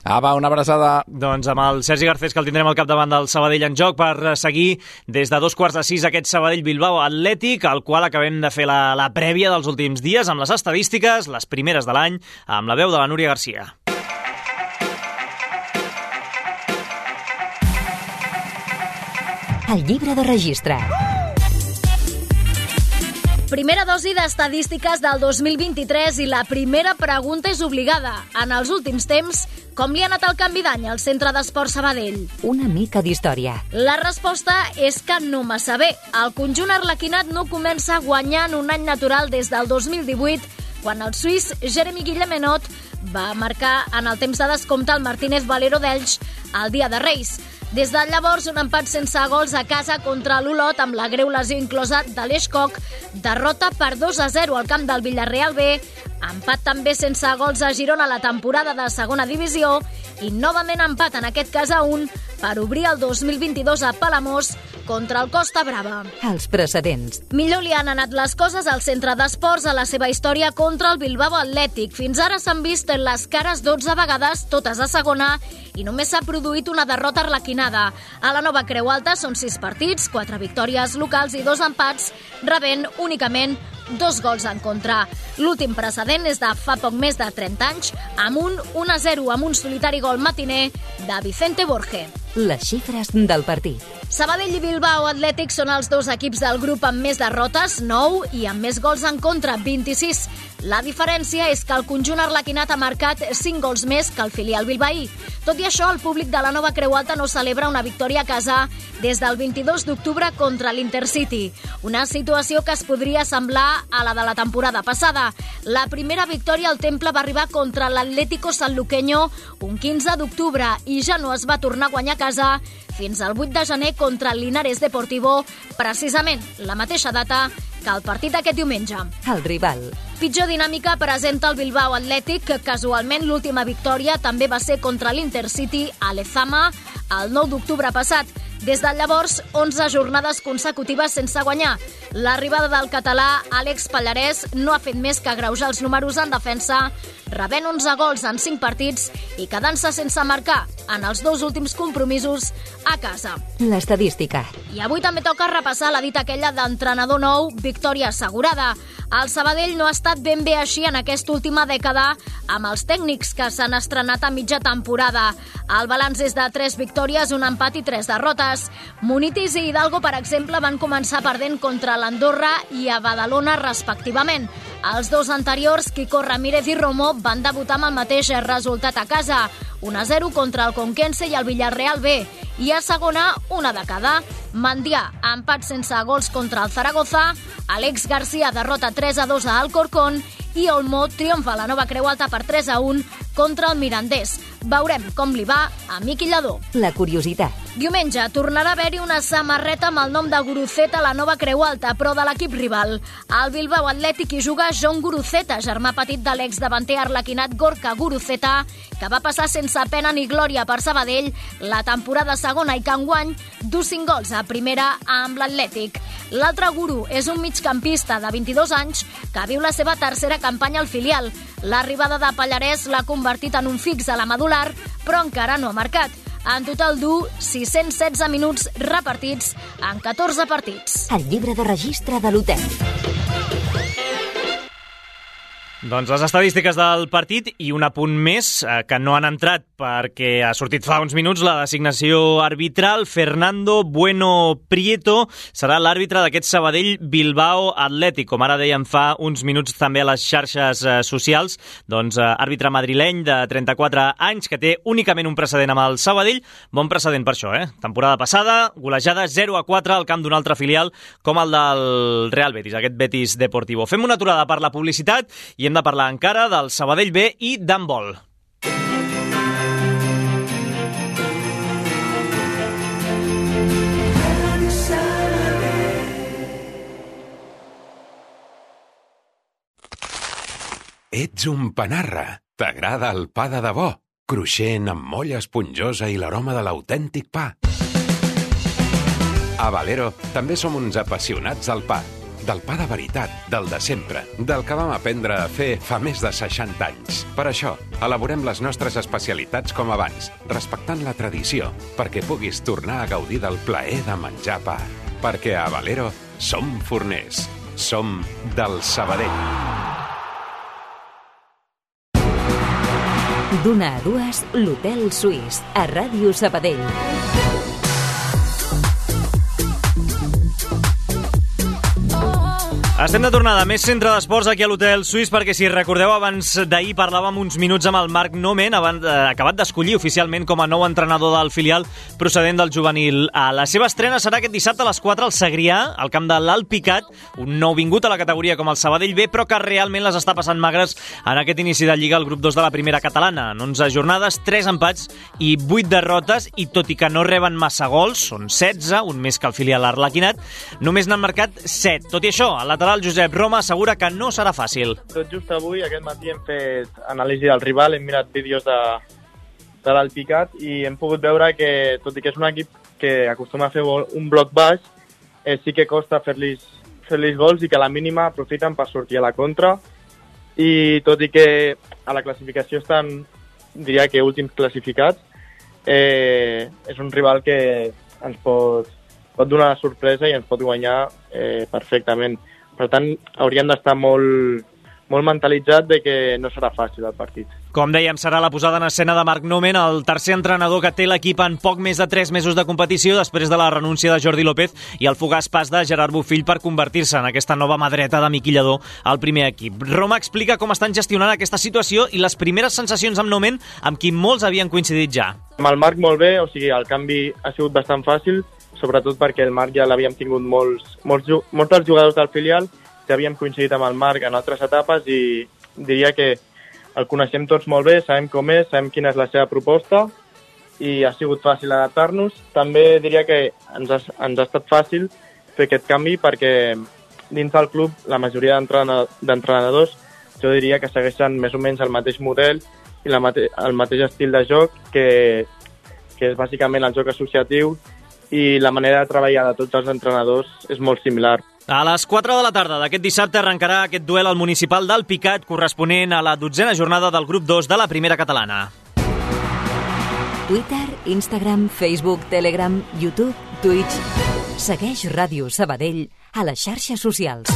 Va, una abraçada. Doncs amb el Sergi Garcés, que el tindrem al capdavant del Sabadell en joc per seguir des de 2:45 aquest Sabadell-Bilbao Atlètic, al qual acabem de fer la prèvia dels últims dies amb les estadístiques, les primeres de l'any, amb la veu de la Núria Garcia. El llibre de registre. Primera dosi d'estadístiques del 2023 i la primera pregunta és obligada. En els últims temps, com li ha anat el canvi d'any al Centre d'Esport Sabadell? Una mica d'història. La resposta és que no massa bé. El conjunt arlequinat no comença guanyant un any natural des del 2018, quan el suís Jeremy Guillemenot va marcar en el temps de descompte el Martínez Valero d'Elx el dia de Reis. Des de llavors, un empat sense gols a casa contra l'Olot amb la greu lesió inclosa de l'Eix Koch, derrota per 2-0 al camp del Villarreal B, empat també sense gols a Girona a la temporada de segona divisió i novament empat, en aquest cas a 1, per obrir el 2022 a Palamós contra el Costa Brava. Els precedents. Millor li han anat les coses al Centre d'Esports a la seva història contra el Bilbao Atlètic. Fins ara s'han vist les cares 12 vegades, totes a segona, i només s'ha produït una derrota arlequinada. A la nova Creu Alta són 6 partits, 4 victòries locals i 2 empats, rebent únicament 2 gols en contra. L'últim precedent és de fa poc més de 30 anys, amb un 1-0 amb un solitari gol matiner de Vicente Borge. Les xifres del partit. Sabadell i Bilbao Atlètic són els dos equips del grup amb més derrotes, 9, i amb més gols en contra, 26. La diferència és que el conjunt arlequinat ha marcat 5 gols més que el filial bilbaí. Tot i això, el públic de la nova Creu Alta no celebra una victòria a casa des del 22 d'octubre contra l'Intercity. Una situació que es podria semblar a la de la temporada passada. La primera victòria al Temple va arribar contra l'Atlético Sanluqueño un 15 d'octubre i ja no es va tornar a guanyar a casa fins al 8 de gener contra el Linares Deportivo, precisament la mateixa data que el partit d'aquest diumenge. El rival. Pitjor dinàmica presenta el Bilbao Atlètic, que casualment l'última victòria també va ser contra l'Intercity a Lezama el 9 d'octubre passat. Des de llavors, 11 jornades consecutives sense guanyar. L'arribada del català Àlex Pallarès no ha fet més que agreujar els números en defensa, rebent 11 gols en 5 partits i quedant-se sense marcar en els 2 últims compromisos a casa. L'estadística. I avui també toca repassar la dita aquella d'entrenador nou, victòria assegurada. El Sabadell no ha estat ben bé així en aquesta última dècada amb els tècnics que s'han estrenat a mitja temporada. El balanç és de 3 victòries, un empat i 3 derrotes. Munitis i Hidalgo, per exemple, van començar perdent contra l'Andorra i a Badalona respectivament. Els 2 anteriors, Quico Ramírez i Romo, van debutar amb el mateix resultat a casa, 1-0 contra el Conquense i el Villarreal B. I a segona, una de cada. Mandià, empat sense gols contra el Zaragoza, Àlex Garcia derrota 3-2 a Alcorcón i Olmo triomfa a la nova Creu Alta per 3-1 contra el Mirandés. Veurem com li va a Miqui Lladó. La curiositat. Diumenge tornarà a haver-hi una samarreta amb el nom de Guruceta a la nova Creu Alta, però de l'equip rival. Al Bilbao Atlètic hi juga John Guruceta, germà petit de l'exdavanter arlequinat Gorka Guruceta, que va passar sense pena ni glòria per Sabadell la temporada segona i que enguany du 5 gols a primera amb l'Atlètic. L'altre guru és un migcampista de 22 anys que viu la seva tercera campanya al filial. L'arribada de Pallarès l'ha convertit en un fix a la medular, però encara no ha marcat. En total du 616 minuts repartits en 14 partits. El llibre de registre de l'hotel. Doncs les estadístiques del partit i un apunt més que no han entrat perquè ha sortit fa uns minuts la designació arbitral. Fernando Bueno Prieto serà l'àrbitre d'aquest Sabadell-Bilbao Atlètic. Com ara dèiem fa uns minuts també a les xarxes socials, doncs àrbitre madrileny de 34 anys que té únicament un precedent amb el Sabadell. Bon precedent per això, Temporada passada, golejada 0-4 al camp d'un altre filial com el del Real Betis, aquest Betis Deportivo. Fem una aturada per la publicitat i hem de parlar encara del Sabadell B i d'handbol. Ets un panarra. T'agrada el pa de debò, cruixent amb molla esponjosa i l'aroma de l'autèntic pa. A Valero també som uns apassionats del pa. Del pa de veritat, del de sempre, del que vam aprendre a fer fa més de 60 anys. Per això, elaborem les nostres especialitats com abans, respectant la tradició, perquè puguis tornar a gaudir del plaer de menjar pa. Perquè a Valero som forners. Som del Sabadell. D'una a dues, l'Hotel Suís, a Ràdio Sabadell. Estem de tornada, més centre d'esports aquí a l'Hotel Suís, perquè si recordeu abans d'ahir parlàvem uns minuts amb el Marc Nomen, acabat d'escollir oficialment com a nou entrenador del filial procedent del juvenil A. La seva estrena serà aquest dissabte a les 4 al Segrià, al camp de l'Alt Picat, un nou vingut a la categoria com el Sabadell B, però que realment les està passant magres en aquest inici de Lliga al grup 2 de la primera catalana. En 11 jornades, 3 empats i 8 derrotes, i tot i que no reben massa gols, són 16, un més que el filial Arlequinat, només n'han marcat 7. Tot i això, el lateral Josep Roma assegura que no serà fàcil. Tot just avui, aquest matí, hem fet anàlisi del rival, hem mirat vídeos de l'Alt Picat i hem pogut veure que, tot i que és un equip que acostuma a fer un bloc baix, sí que costa fer-lis gols i que a la mínima aprofiten per sortir a la contra. I tot i que a la classificació estan, diria que últims classificats, és un rival que ens pot donar una sorpresa i ens pot guanyar perfectament. Per tant, hauríem d'estar molt mentalitzat de que no serà fàcil el partit. Com dèiem, serà la posada en escena de Marc Nomen, el tercer entrenador que té l'equip en poc més de 3 mesos de competició després de la renúncia de Jordi López i el fugaç pas de Gerard Bofill per convertir-se en aquesta nova mà dreta de Miqui Lladó al primer equip. Roma explica com estan gestionant aquesta situació i les primeres sensacions amb Nomen, amb qui molts havien coincidit ja. Amb el Marc molt bé, o sigui, el canvi ha sigut bastant fàcil, sobretot perquè el Marc ja l'havíem tingut molts dels jugadors del filial, ja havíem coincidit amb el Marc en altres etapes i diria que el coneixem tots molt bé, sabem com és, sabem quina és la seva proposta i ha sigut fàcil adaptar-nos. També diria que ens ha estat fàcil fer aquest canvi perquè dins del club la majoria d'entrenadors jo diria que segueixen més o menys el mateix model i el mateix estil de joc que és bàsicament el joc associatiu i la manera de treballar de tots els entrenadors és molt similar. A les 4 de la tarda d'aquest dissabte arrencarà aquest duel al municipal del Picat, corresponent a la 12a jornada del grup 2 de la primera catalana. Twitter, Instagram, Facebook, Telegram, YouTube, Twitch. Segueix Ràdio Sabadell a les xarxes socials.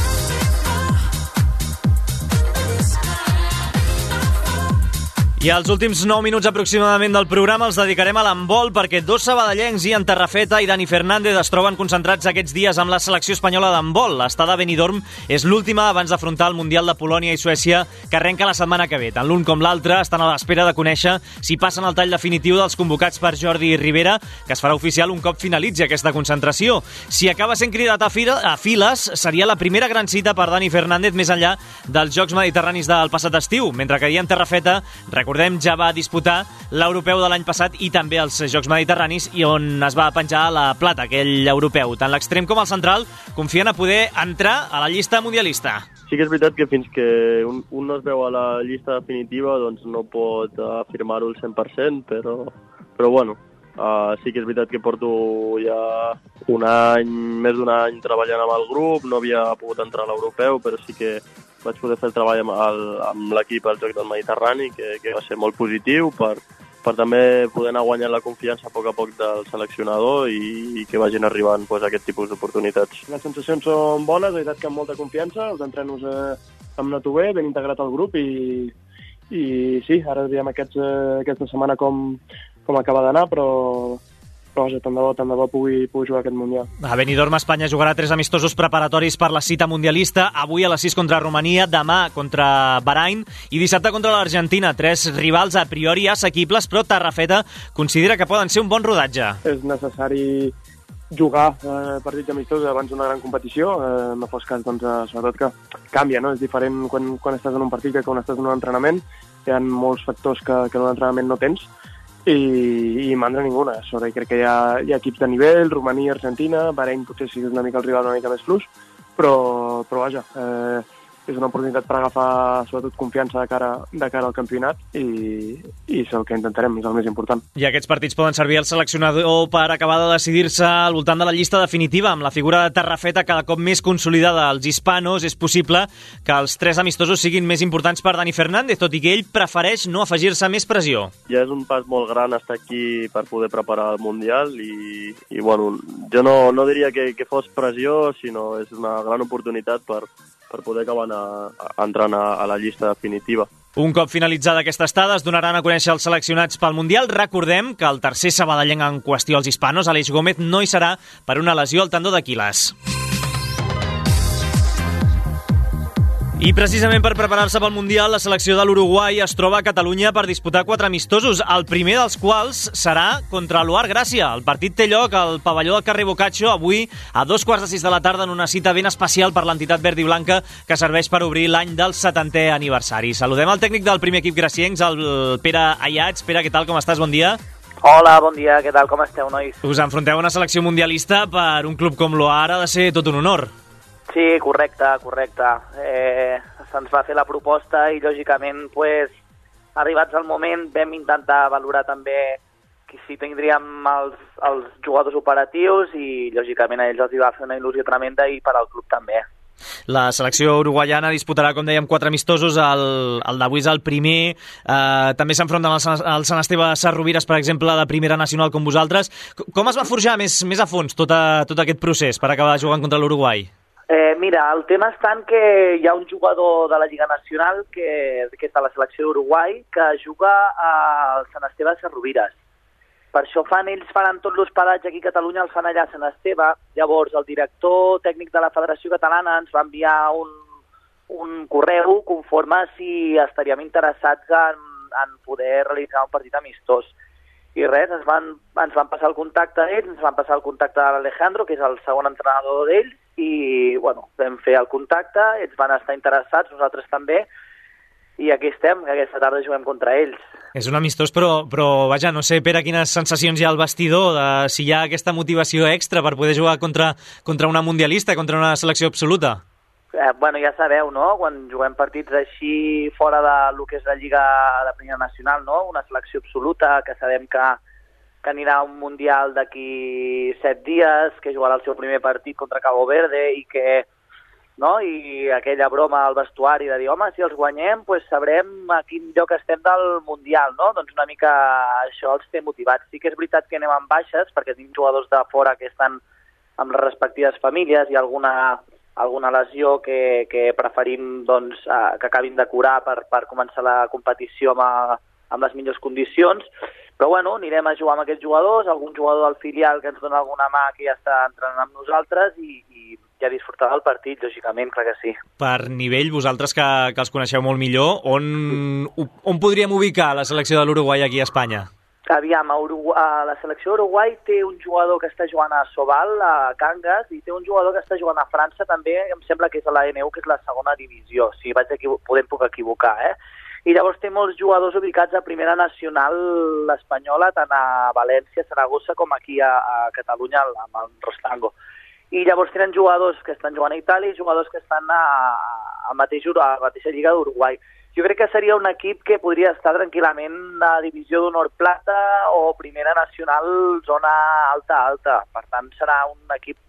I els últims 9 minuts aproximadament del programa els dedicarem a l'handbol perquè dos sabadellencs, Ian Terrafeta i Dani Fernández, es troben concentrats aquests dies amb la selecció espanyola d'handbol. L'estada a Benidorm és l'última abans d'afrontar el Mundial de Polònia i Suècia que arrenca la setmana que ve. Tant l'un com l'altre estan a l'espera de conèixer si passen el tall definitiu dels convocats per Jordi Rivera, que es farà oficial un cop finalitzi aquesta concentració. Si acaba sent cridat a files, seria la primera gran cita per Dani Fernández més enllà dels Jocs Mediterranis del passat estiu, mentre que Ian Terrafeta, recordem, ja va disputar l'europeu de l'any passat i també els Jocs Mediterranis i on es va penjar la plata, aquell europeu. Tant l'extrem com el central confien a poder entrar a la llista mundialista. Sí que és veritat que fins que un no es veu a la llista definitiva doncs no pot afirmar-ho al 100%, però bueno, sí que és veritat que porto ja més d'un any treballant amb el grup, no havia pogut entrar a l'europeu, però sí que vaig poder fer el treball amb l'equip al Joc del Mediterrani, que va ser molt positiu per també poder anar guanyant la confiança a poc del seleccionador i que vagin arribant aquest tipus d'oportunitats. Les sensacions són bones, la veritat que amb molta confiança, els entrenos hem anat bé, ben integrat al grup i sí, ara veiem aquesta setmana com acaba d'anar, però vaja, tant de bo pugui jugar aquest Mundial. A Benidorm, Espanya jugarà 3 amistosos preparatoris per la cita mundialista, avui a les 6 contra Romania, demà contra Bahrain i dissabte contra l'Argentina. 3 rivals a priori assequibles, però Terrafeta considera que poden ser un bon rodatge. És necessari jugar partits amistosos abans d'una gran competició, no fos cas, doncs, sobretot que canvia, no? És diferent quan estàs en un partit que quan estàs en un entrenament. Hi ha molts factors que en un entrenament no tens, i mandra ninguna. Crec que hi ha equips de nivell, Romania, Argentina, Bahrain potser sí que és una mica el rival una mica més plus, però vaja, és una oportunitat per agafar sobretot confiança de cara al campionat i és el que intentarem, és el més important. I aquests partits poden servir al seleccionador per acabar de decidir-se al voltant de la llista definitiva. Amb la figura de Tarrafeta cada cop més consolidada als hispanos, és possible que els 3 amistosos siguin més importants per Dani Fernández, tot i que ell prefereix no afegir-se més pressió. Ja és un pas molt gran estar aquí per poder preparar el Mundial i bueno, jo no diria que fos pressió, sinó és una gran oportunitat per poder acabar entrant a la llista definitiva. Un cop finalitzada aquesta estada, es donaran a conèixer els seleccionats pel Mundial. Recordem que el tercer sabadellenc en qüestió als hispanos, Aleix Gómez, no hi serà per una lesió al tendó d'Aquil·les. I precisament per preparar-se pel Mundial, la selecció de l'Uruguai es troba a Catalunya per disputar 4 amistosos, el primer dels quals serà contra l'UAR Gràcia. El partit té lloc al pavelló del carrer Boccaccio avui a 5:45 de la tarda en una cita ben especial per l'entitat verd i blanca que serveix per obrir l'any del 70è aniversari. Saludem el tècnic del primer equip graciencs, el Pere Ayats. Pere, què tal, com estàs? Bon dia. Hola, bon dia, què tal, com esteu, nois? Us enfronteu a una selecció mundialista. Per un club com l'UAR ha de ser tot un honor. Sí, correcte. Se'ns va fer la proposta i, lògicament, arribats al moment, vam intentar valorar també si tindríem els jugadors operatius i, lògicament, a ells els va fer una il·lusió tremenda i per al club també. La selecció uruguaiana disputarà, com dèiem, 4 amistosos. El d'avui és el primer. També s'enfronten al Sant Esteve Sesrovires, per exemple, de primera nacional com vosaltres. Com es va forjar més a fons tot aquest procés per acabar jugant contra l'Uruguai? Mira, el tema està en que hi ha un jugador de la Lliga Nacional que és de la selecció d'Uruguai que juga al Sant Esteve Sesrovires. Per això ells faran tot l'hospedatge aquí a Catalunya, el fan allà a Sant Esteve. Llavors, el director tècnic de la Federació Catalana ens va enviar un correu conforme si estaríem interessats en poder realitzar un partit amistós. I res, ens van passar el contacte d'ells, ens van passar el contacte de l'Alejandro, que és el segon entrenador d'ells, i bueno, vam fer el contacte, ells van estar interessats, nosaltres també, i aquí estem, que aquesta tarda juguem contra ells. És un amistós, però vaja, no sé, Pere, quines sensacions hi ha al vestidor, si hi ha aquesta motivació extra per poder jugar contra una mundialista, contra una selecció absoluta. Bueno, ja sabeu, no?, quan juguem partits així fora de lo que és la Lliga de Primera Nacional, no?, una selecció absoluta, que sabem que anirà a un Mundial d'aquí 7 dies, que jugarà el seu primer partit contra Cabo Verde i que, no?, i aquella broma al vestuari de dir, home, si els guanyem, doncs sabrem a quin lloc estem del Mundial, no? Doncs una mica això els té motivats. Sí que és veritat que anem amb baixes, perquè tenim jugadors de fora que estan amb les respectives famílies i alguna lesió que preferim doncs, que acabin de curar per començar la competició amb les millors condicions. Però bueno, anirem a jugar amb aquests jugadors, algun jugador del filial que ens dona alguna mà que ja està entrenant amb nosaltres i ja disfrutar del partit, lògicament, clar que sí. Per nivell, vosaltres que els coneixeu molt millor, on podríem ubicar la selecció de l'Uruguai aquí a Espanya? Aviam, la selecció d'Uruguai té un jugador que està jugant a Sobal, a Cangas, i té un jugador que està jugant a França també, em sembla que és a la NU, que és la segona divisió, si puc equivocar, I llavors té molts jugadors ubicats a Primera Nacional espanyola, tant a València, Saragossa, com aquí a Catalunya, amb el Rostango. I llavors tenen jugadors que estan jugant a Itàlia i jugadors que estan a la mateixa Lliga d'Uruguai. Jo crec que seria un equip que podria estar tranquil·lament a Divisió d'Honor Plata o Primera Nacional, zona alta. Per tant, serà un equip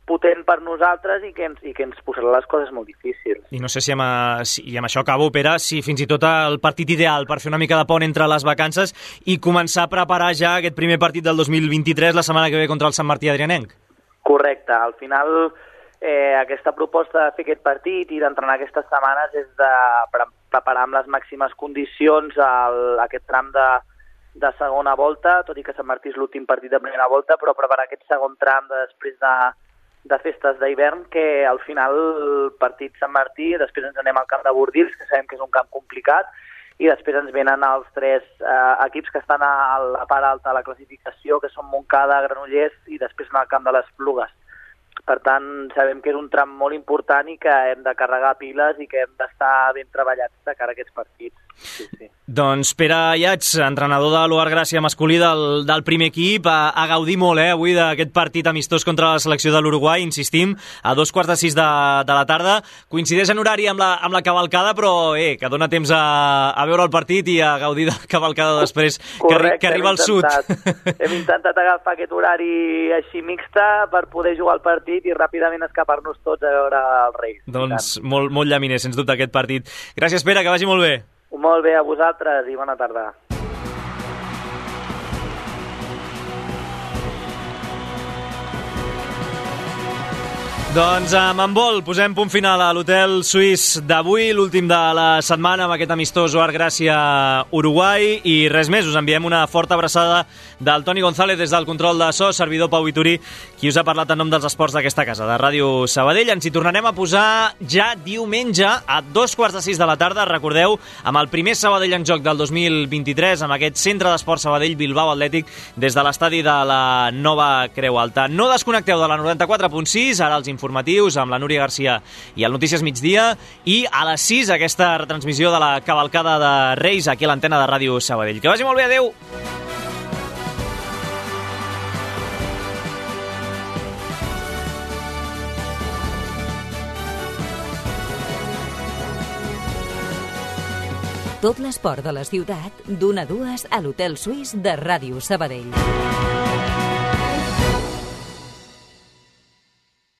potent per nosaltres i que ens posarà les coses molt difícils. I no sé si amb això acabo, Pere, si fins i tot el partit ideal per fer una mica de pont entre les vacances i començar a preparar ja aquest primer partit del 2023 la setmana que ve contra el Sant Martí Adrianenc. Correcte. Al final, aquesta proposta de fer aquest partit i d'entrenar aquestes setmanes és de preparar amb les màximes condicions aquest tram de segona volta, tot i que Sant Martí és l'últim partit de primera volta, però preparar aquest segon tram després de festes d'hivern, que al final el partit Sant Martí, després ens anem al camp de Bordils, que sabem que és un camp complicat, i després ens venen els 3 equips que estan a la part alta de la classificació, que són Montcada, Granollers, i després anar al camp de les Plugues. Per tant, sabem que és un tram molt important i que hem de carregar piles i que hem d'estar ben treballats de cara a aquests partits. Doncs Pere Ayats, entrenador de l'Oar Gràcia masculí del primer equip, a gaudir molt avui d'aquest partit amistós contra la selecció de l'Uruguai, insistim, a 5:45 de la tarda. Coincideix en horari amb la cavalcada, però que dona temps a veure el partit i a gaudir de la cavalcada després. Correcte, que arriba al sud. Hem intentat agafar aquest horari així mixta per poder jugar al partit i ràpidament escapar-nos tots a veure els Reis. Doncs molt llaminer, sens dubte, aquest partit. Gràcies, Pere, que vagi molt bé. Molt bé, a vosaltres i bona tarda. Doncs amb handbol posem punt final a l'hotel suís d'avui, l'últim de la setmana amb aquest amistós Oar Gràcia-Uruguai, i res més, us enviem una forta abraçada del Toni González des del control de so, servidor Pau Vitorí, qui us ha parlat en nom dels esports d'aquesta casa, de Ràdio Sabadell. Ens hi tornarem a posar ja diumenge a 5:45 de la tarda, recordeu, amb el primer Sabadell en joc del 2023, amb aquest centre d'esport Sabadell Bilbao Atlètic des de l'estadi de la Nova Creu Alta. No desconnecteu de la 94.6, ara els informatius amb la Núria Garcia i el Notícies Migdia, i a les 6 aquesta retransmissió de la cavalcada de Reis aquí a l'antena de Ràdio Sabadell. Que vagi molt bé, adeu! Tot l'esport de la ciutat, d'1 a 2 a l'Hotel Suís de Ràdio Sabadell.